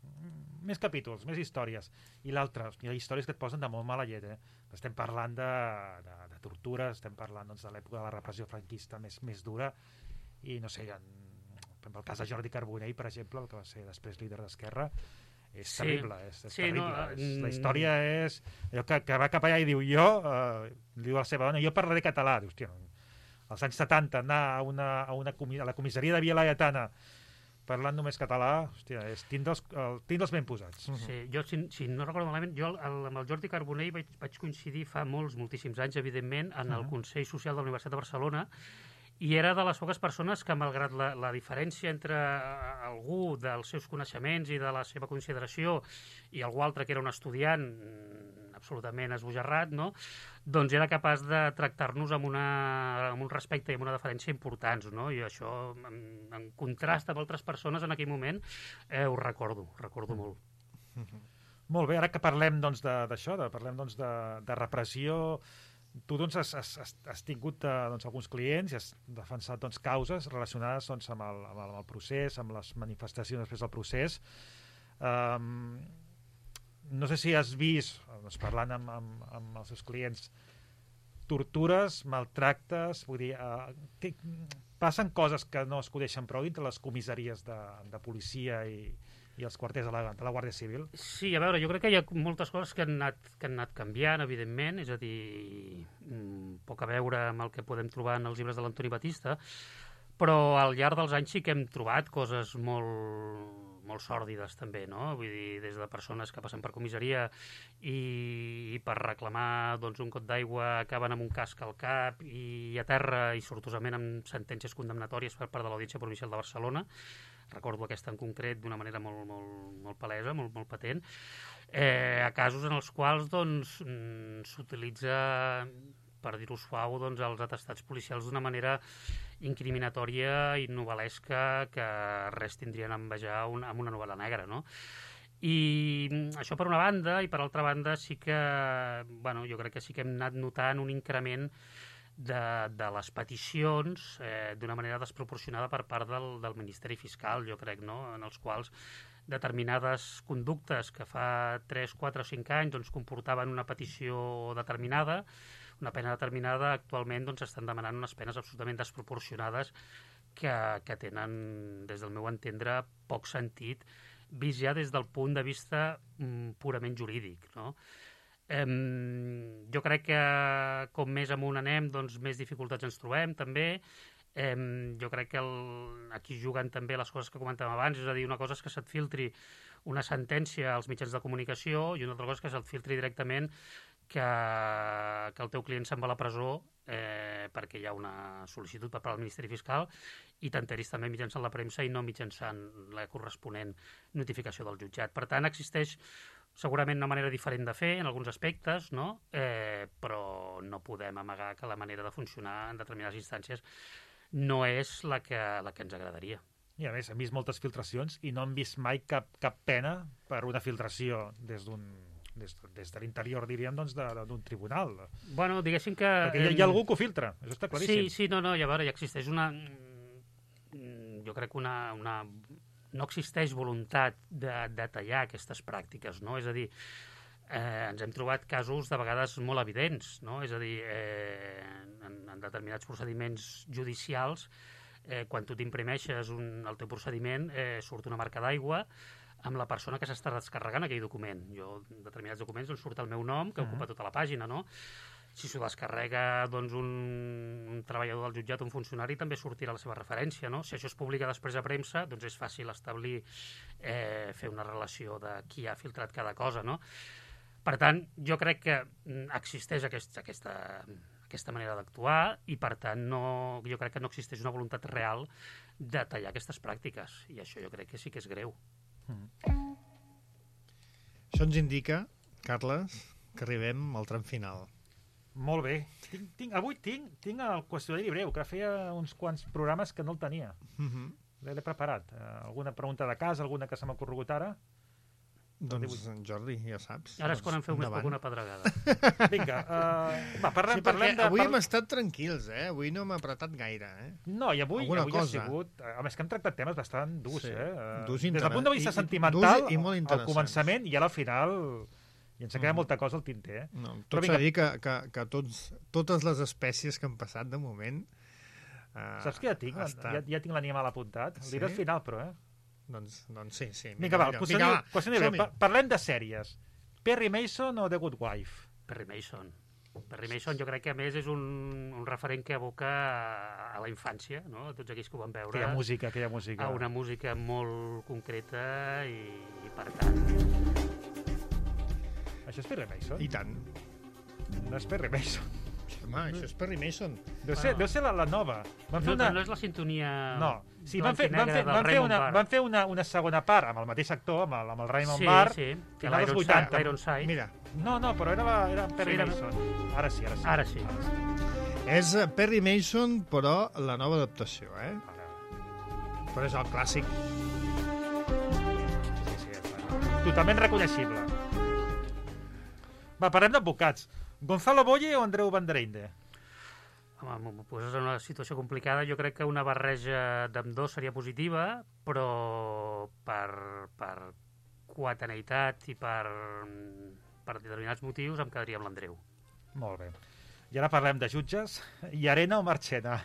més capítols, més històries. I l'altra, hi ha històries que et posen de molt mala llet. Estem parlant de tortures, estem parlant doncs, de l'època de la repressió franquista més dura, i no sé, en el cas de Jordi Carbonell, per exemple, el que va ser després líder d'Esquerra, és terrible, és terrible. La història és allò que va cap allà i diu diu a la seva dona, jo parlaré català. Diu, hòstia, als anys 70 anar a la comissaria de Via Laietana parlant només català, hòstia, és tindre'ls ben posats. Sí, jo, si no recordo malament, jo amb el Jordi Carbonell vaig coincidir fa moltíssims anys, evidentment, en el Consell Social de la Universitat de Barcelona, i era de les poques persones que, malgrat la diferència entre algú dels seus coneixements i de la seva consideració i algú altre que era un estudiant absolutament esbojarrat, no? Doncs era capaç de tractar-nos amb un respecte i amb una deferència importants, no? I això, en contrast amb altres persones en aquell moment, ho recordo molt. Molt bé, ara que parlem d'això, parlem de repressió, Tu doncs, has tingut alguns clients i has defensat causes relacionades amb el procés, amb les manifestacions després del procés. No sé si has vist, parlant amb els seus clients, tortures, maltractes, vull dir, passen coses que no es coneixen prou dintre les comissaries de policia i els quarters de la Guàrdia Civil? Sí, a veure, jo crec que hi ha moltes coses que han anat canviant, evidentment, és a dir, poc a veure amb el que podem trobar en els llibres de l'Antoni Batista, però al llarg dels anys sí que hem trobat coses molt sòrdides també, no? Vull dir, des de persones que passen per comissaria i per reclamar un got d'aigua acaben amb un casc al cap i a terra i sortosament amb sentències condemnatòries per part de l'Audiència Provincial de Barcelona. Recordo aquesta en concret d'una manera molt palesa, molt patent, a casos en els quals s'utilitza, per dir-ho suau, els atestats policials d'una manera incriminatòria i novel·lesca que res tindrien a envejar amb una novel·la negra, no? I això per una banda, i per altra banda sí que, jo crec que sí que hem anat notant un increment de les peticions d'una manera desproporcionada per part del Ministeri Fiscal, jo crec, no? En els quals determinades conductes que fa 3, 4 o 5 anys comportaven una petició determinada, una pena determinada, actualment estan demanant unes penes absolutament desproporcionades que tenen, des del meu entendre, poc sentit, vist ja des del punt de vista purament jurídic, no? Jo crec que com més amunt anem, més dificultats ens trobem, també. Jo crec que aquí juguen també les coses que comentàvem abans, és a dir, una cosa és que se't filtri una sentència als mitjans de comunicació i una altra cosa és que se't filtri directament que el teu client se'n va a la presó perquè hi ha una sol·licitud per part del Ministeri Fiscal i t'enteris també mitjançant la premsa i no mitjançant la corresponent notificació del jutjat. Per tant, existeix segurament una manera diferent de fer en alguns aspectes, no? Però no podem amagar que la manera de funcionar en determinades instàncies no és la que ens agradaria. I a més, hem vist moltes filtracions i no hem vist mai cap pena per una filtració des de l'interior, diríem, d'un tribunal. Bueno, diguéssim que... Perquè hi ha algú que ho filtra, això està claríssim. Sí, no, i a veure, ja existeix una... Jo crec que no existeix voluntat de tallar aquestes pràctiques, no? És a dir, ens hem trobat casos de vegades molt evidents, no? És a dir, en determinats procediments judicials, quan tu t'imprimeixes el teu procediment, surt una marca d'aigua amb la persona que s'està descarregant aquell document. Jo, en determinats documents, surt el meu nom, que ocupa tota la pàgina, no? Si s'ho descarrega un treballador del jutjat, un funcionari, també sortirà la seva referència, no? Si això es publica després a premsa, doncs és fàcil establir, fer una relació de qui ha filtrat cada cosa, no? Per tant, jo crec que existeix aquesta manera d'actuar i, per tant, jo crec que no existeix una voluntat real de tallar aquestes pràctiques. I això jo crec que sí que és greu. Això ens indica, Carles, que arribem al tram final. Molt bé. Avui tinc el qüestionari breu, que feia uns quants programes que no el tenia. L'he preparat. Alguna pregunta de cas, alguna que se m'ha corregut ara? Doncs, Jordi, ja saps. Ara és quan em feu més poc una pedregada. Vinga, parlem de... Avui hem estat tranquils, Avui no hem apretat gaire, No, i avui ha sigut... A més que hem tractat temes bastant durs, Durs, des del punt de vista sentimental, al començament i al final... I ens ha quedat molta cosa al tinter, No, tot s'ha de dir que totes les espècies que han passat de moment... Saps que ja tinc l'animal apuntat? El diré al final, però, Doncs sí. Vinga, va, qüestionari breu. Parlem de sèries. Perry Mason o The Good Wife? Perry Mason. Perry Mason jo crec que a més és un referent que evoca a la infància, no? A tots aquells que ho van veure. Aquella música. A una música molt concreta i per tant... Això és Perry Mason? I tant. No és Perry Mason. Home, això és Perry Mason. Deu ser la nova. No és la sintonia... No. Sí, van fer una segona part amb el mateix actor, amb el Raymond Barr, final dels 80. Ironside. Mira. No, però era Perry Mason. Ara sí. És Perry Mason, però la nova adaptació, Però és el clàssic. Sí, totalment reconeixible. Va, parlem d'advocats. Gonzalo Boye o Andreu Vanderinde? Home, m'ho poses en una situació complicada. Jo crec que una barreja d'ambdós seria positiva, però per coetaneïtat i per determinats motius em quedaria amb l'Andreu. Molt bé. I ara parlem de jutges. Llarena o Marchena?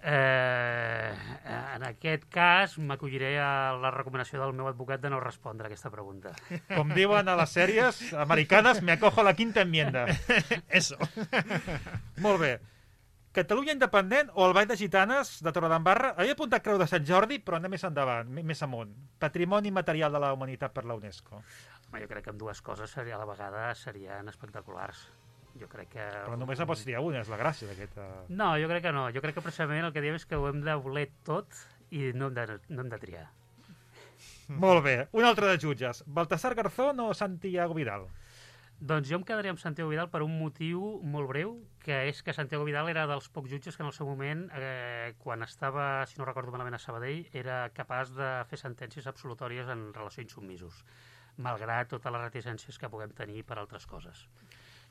En aquest cas m'acolliré a la recomanació del meu advocat de no respondre a aquesta pregunta. Com diuen a les sèries americanes, me acojo a la quinta enmienda. Eso. Molt bé. Catalunya independent o el Ball de Gitanes de Torredembarra? Havia apuntat Creu de Sant Jordi, però anem més endavant, més amunt. Patrimoni material de la humanitat per la UNESCO. Home, jo crec que amb dues coses a la vegada serien espectaculars. Jo crec que... Però només en pots triar una, és la gràcia d'aquesta... No, jo crec que no. Jo crec que precisament el que diem és que ho hem de voler tot i no hem de triar. Molt bé. Un altre de jutges. Baltasar Garzón o Santiago Vidal? Doncs jo em quedaria amb Santiago Vidal per un motiu molt breu, que és que Santiago Vidal era dels pocs jutges que en el seu moment, quan estava, si no recordo malament, a Sabadell, era capaç de fer sentències absolutòries en relació a insubmisos, malgrat totes les reticències que puguem tenir per altres coses.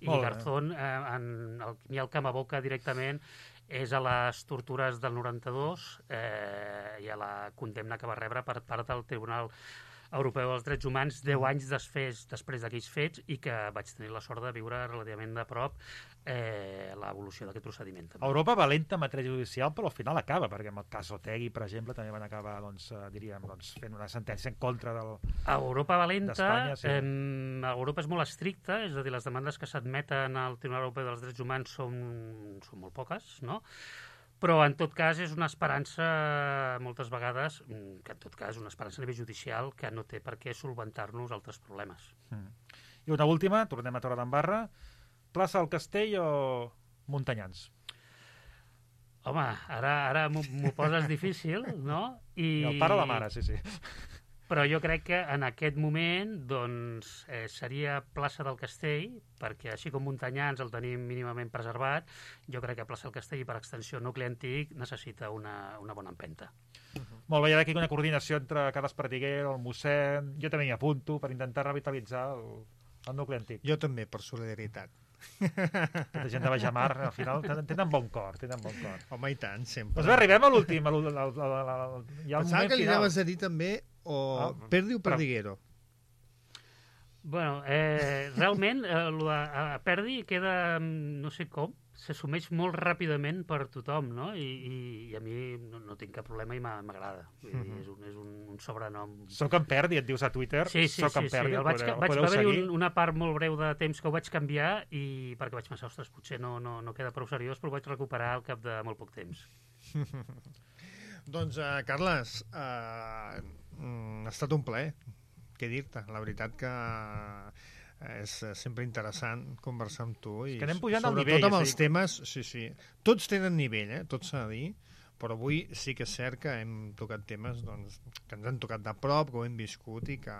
I Garzón, ni el que m'aboca directament és a les tortures del 92 i a la condemna que va rebre per part del Tribunal Europeu dels Drets Humans 10 anys després d'aquells fets, i que vaig tenir la sort de viure relativament de prop l'evolució d'aquest procediment. També. Europa valenta en matèria judicial, però al final acaba, perquè amb el cas Otegi, per exemple, també van acabar fent una sentència en contra Europa valenta, sí. Europa és molt estricta, és a dir, les demandes que s'admeten al Tribunal Europeu dels Drets Humans són molt poques, no? Però, en tot cas, és una esperança, moltes vegades, que en tot cas és una esperança a nivell judicial que no té per què solventar-nos altres problemes. I una última, tornem a Torredembarra, plaça del Castell o Montanyans? Home, ara m'ho poses difícil, no? I el pare o la mare, sí. Però jo crec que en aquest moment doncs, seria plaça del Castell, perquè així com Montanyans el tenim mínimament preservat, jo crec que plaça del Castell, per extensió nucli antic, necessita una bona empenta. Molt bé, hi ha aquí una coordinació entre Carles Perdiguero, el mossèn... Jo també m'hi apunto per intentar revitalitzar el nucli antic. Jo també, per solidaritat. Aquesta gent de Bajamar, al final, tenen bon cor. Home, i tant, sempre. Doncs bé, arribem a l'últim. Pensava que li anaves a dir també Perdi o Perdiguero? Bueno, realment, a Perdi queda, no sé com, s'assumeix molt ràpidament per tothom, no? I a mi no tinc cap problema i m'agrada. És un sobrenom. Soc en Perdi, et dius a Twitter. Sí. Va haver-hi una part molt breu de temps que ho vaig canviar perquè vaig pensar, ostres, potser no queda prou seriós, però ho vaig recuperar al cap de molt poc temps. Doncs, Carles, ha estat un plaer, què dir-te. La veritat que és sempre interessant conversar amb tu. És que anem pujant al nivell. Sobretot amb els temes, sí. Tots tenen nivell, tot s'ha de dir, però avui sí que és cert que hem tocat temes que ens han tocat de prop, que ho hem viscut i que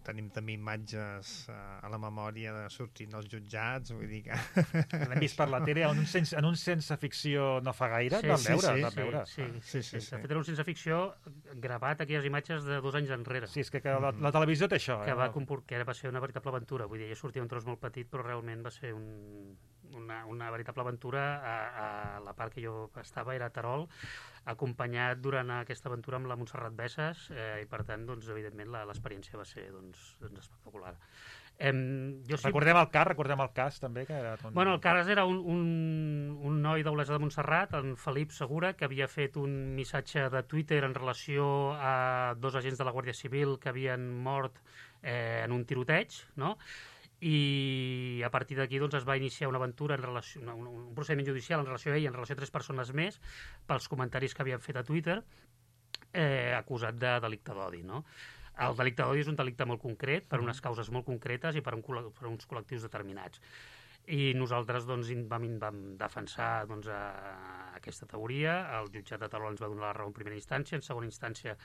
tenim també imatges a la memòria de sortint dels jutjats, vull dir que... L'hem vist per la tele en un sense ficció no fa gaire, vam veure. Sí. De fet, era un sense ficció gravat, aquelles imatges de 2 anys enrere. Sí, és que la televisió té això. Que va ser una veritable aventura, vull dir, jo sortia un tros molt petit, però realment va ser una veritable aventura. A la part que jo estava era a Terol, acompanyat durant aquesta aventura amb la Montserrat Bessas, i per tant, doncs, evidentment, l'experiència va ser espectacular. Recordem el cas també. Bueno, el cas era un noi d'Olesa de Montserrat, en Felip Segura, que havia fet un missatge de Twitter en relació a 2 agents de la Guàrdia Civil que havien mort en un tiroteig, no? I a partir d'aquí doncs, es va iniciar una aventura un procediment judicial en relació a ell, en relació a 3 persones més, pels comentaris que havien fet a Twitter, acusat de delicte d'odi, no? El delicte d'odi és un delicte molt concret, per unes causes molt concretes i per uns col·lectius determinats. I nosaltres vam defensar aquesta teoria. El jutjat de Terol ens va donar la raó en primera instància, en segona instància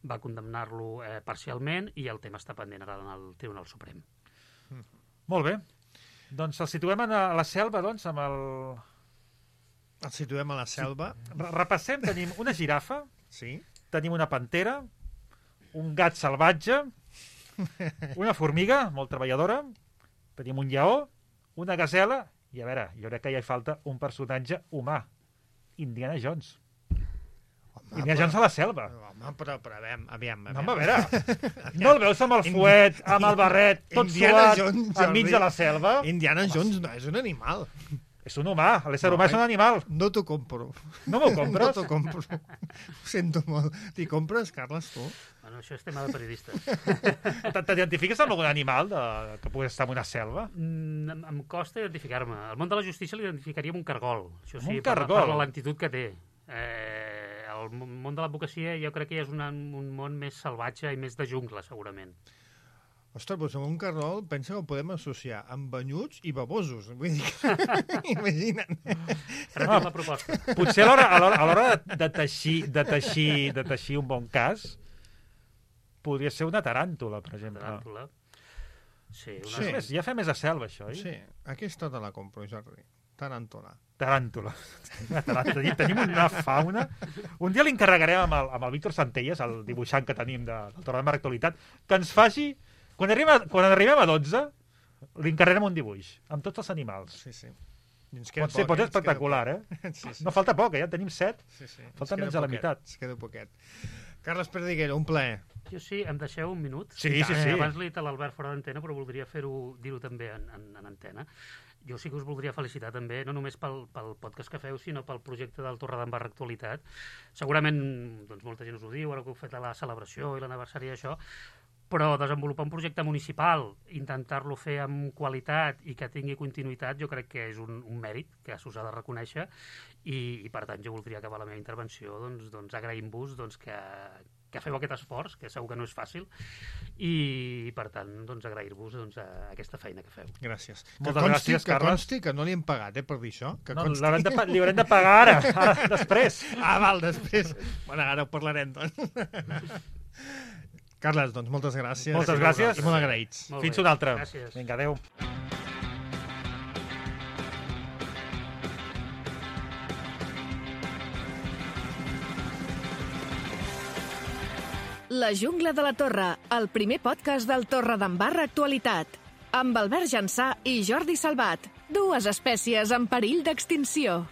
va condemnar-lo parcialment, i el tema està pendent ara en el Tribunal Suprem. Molt bé. Doncs el situem a la selva, doncs, amb el... El situem a la selva. Repassem, tenim una girafa, sí. Tenim una pantera, un gat salvatge, una formiga, molt treballadora, Tenim un lleó, una gasela, i a veure, jo crec que ja hi falta un personatge humà. Indiana Jones. Indiana Jones a la selva. Home, però aviam. No, a veure, no el veus amb el fuet, amb el barret, tot suat, enmig de la selva? Indiana Jones no és un animal. És un humà, l'ésser humà és un animal. No t'ho compro. No m'ho compres? No t'ho compro. Ho sento molt. T'hi compres, Carles, tu? Bueno, això és tema de periodistes. T'identifiques amb algun animal que pugui estar en una selva? Em costa identificar-me. Al món de la justícia l'identificaria amb un cargol. Això sí, un cargol? Per la lentitud que té. El món de l'advocacia jo crec que ja és un món més salvatge i més de jungla, segurament. Ostres, doncs amb un cargol pensa que ho podem associar amb banyuts i babosos. Vull dir que... Imagina't. Retem la proposta. Potser a l'hora de teixir un bon cas podria ser una taràntula, per exemple. Taràntula. Sí, Ja fa més a selva, això, oi? Sí, aquesta te la compro, Jordi. Taràntula. Tenim una fauna. Un dia li encarregarem amb el Víctor Santelles, el dibuixant que tenim del Torre de Mar Actualitat, que ens faci... Quan arribem a 12, li encarregarem un dibuix, amb tots els animals. Sí. Pot ser espectacular, Sí. No falta poc, ja tenim 7. Sí. Falta menys de la meitat. Es queda poquet. Carles Perdiguero, un plaer. Jo sí, em deixeu un minut? Sí. Abans l'he dit a l'Albert fora d'antena, però voldria dir-ho també en antena. Jo sí que us voldria felicitar també, no només pel podcast que feu, sinó pel projecte del Torre d'en Barra Actualitat. Segurament doncs, molta gent us ho diu, ara que heu fet la celebració i l'aniversari d'això, però desenvolupar un projecte municipal, intentar-lo fer amb qualitat i que tingui continuïtat, jo crec que és un mèrit que s'us ha de reconèixer i per tant jo voldria acabar la meva intervenció doncs agraint-vos que feu aquest esforç, que segur que no és fàcil, i per tant doncs agrair-vos aquesta feina que feu. Gràcies. Moltes gràcies, Carles. Que consti que no li hem pagat per dir això. Li haurem de pagar ara, després. Val, després. Bueno, ara ho parlarem, doncs. Carles, doncs moltes gràcies. Moltes gràcies. I molt agraïts. Fins una altra. Gràcies. Vinga, adeu. La jungla de la Torre, el primer podcast del Torre d'en Barra Actualitat. Amb Albert Jansà i Jordi Salvat, dues espècies en perill d'extinció.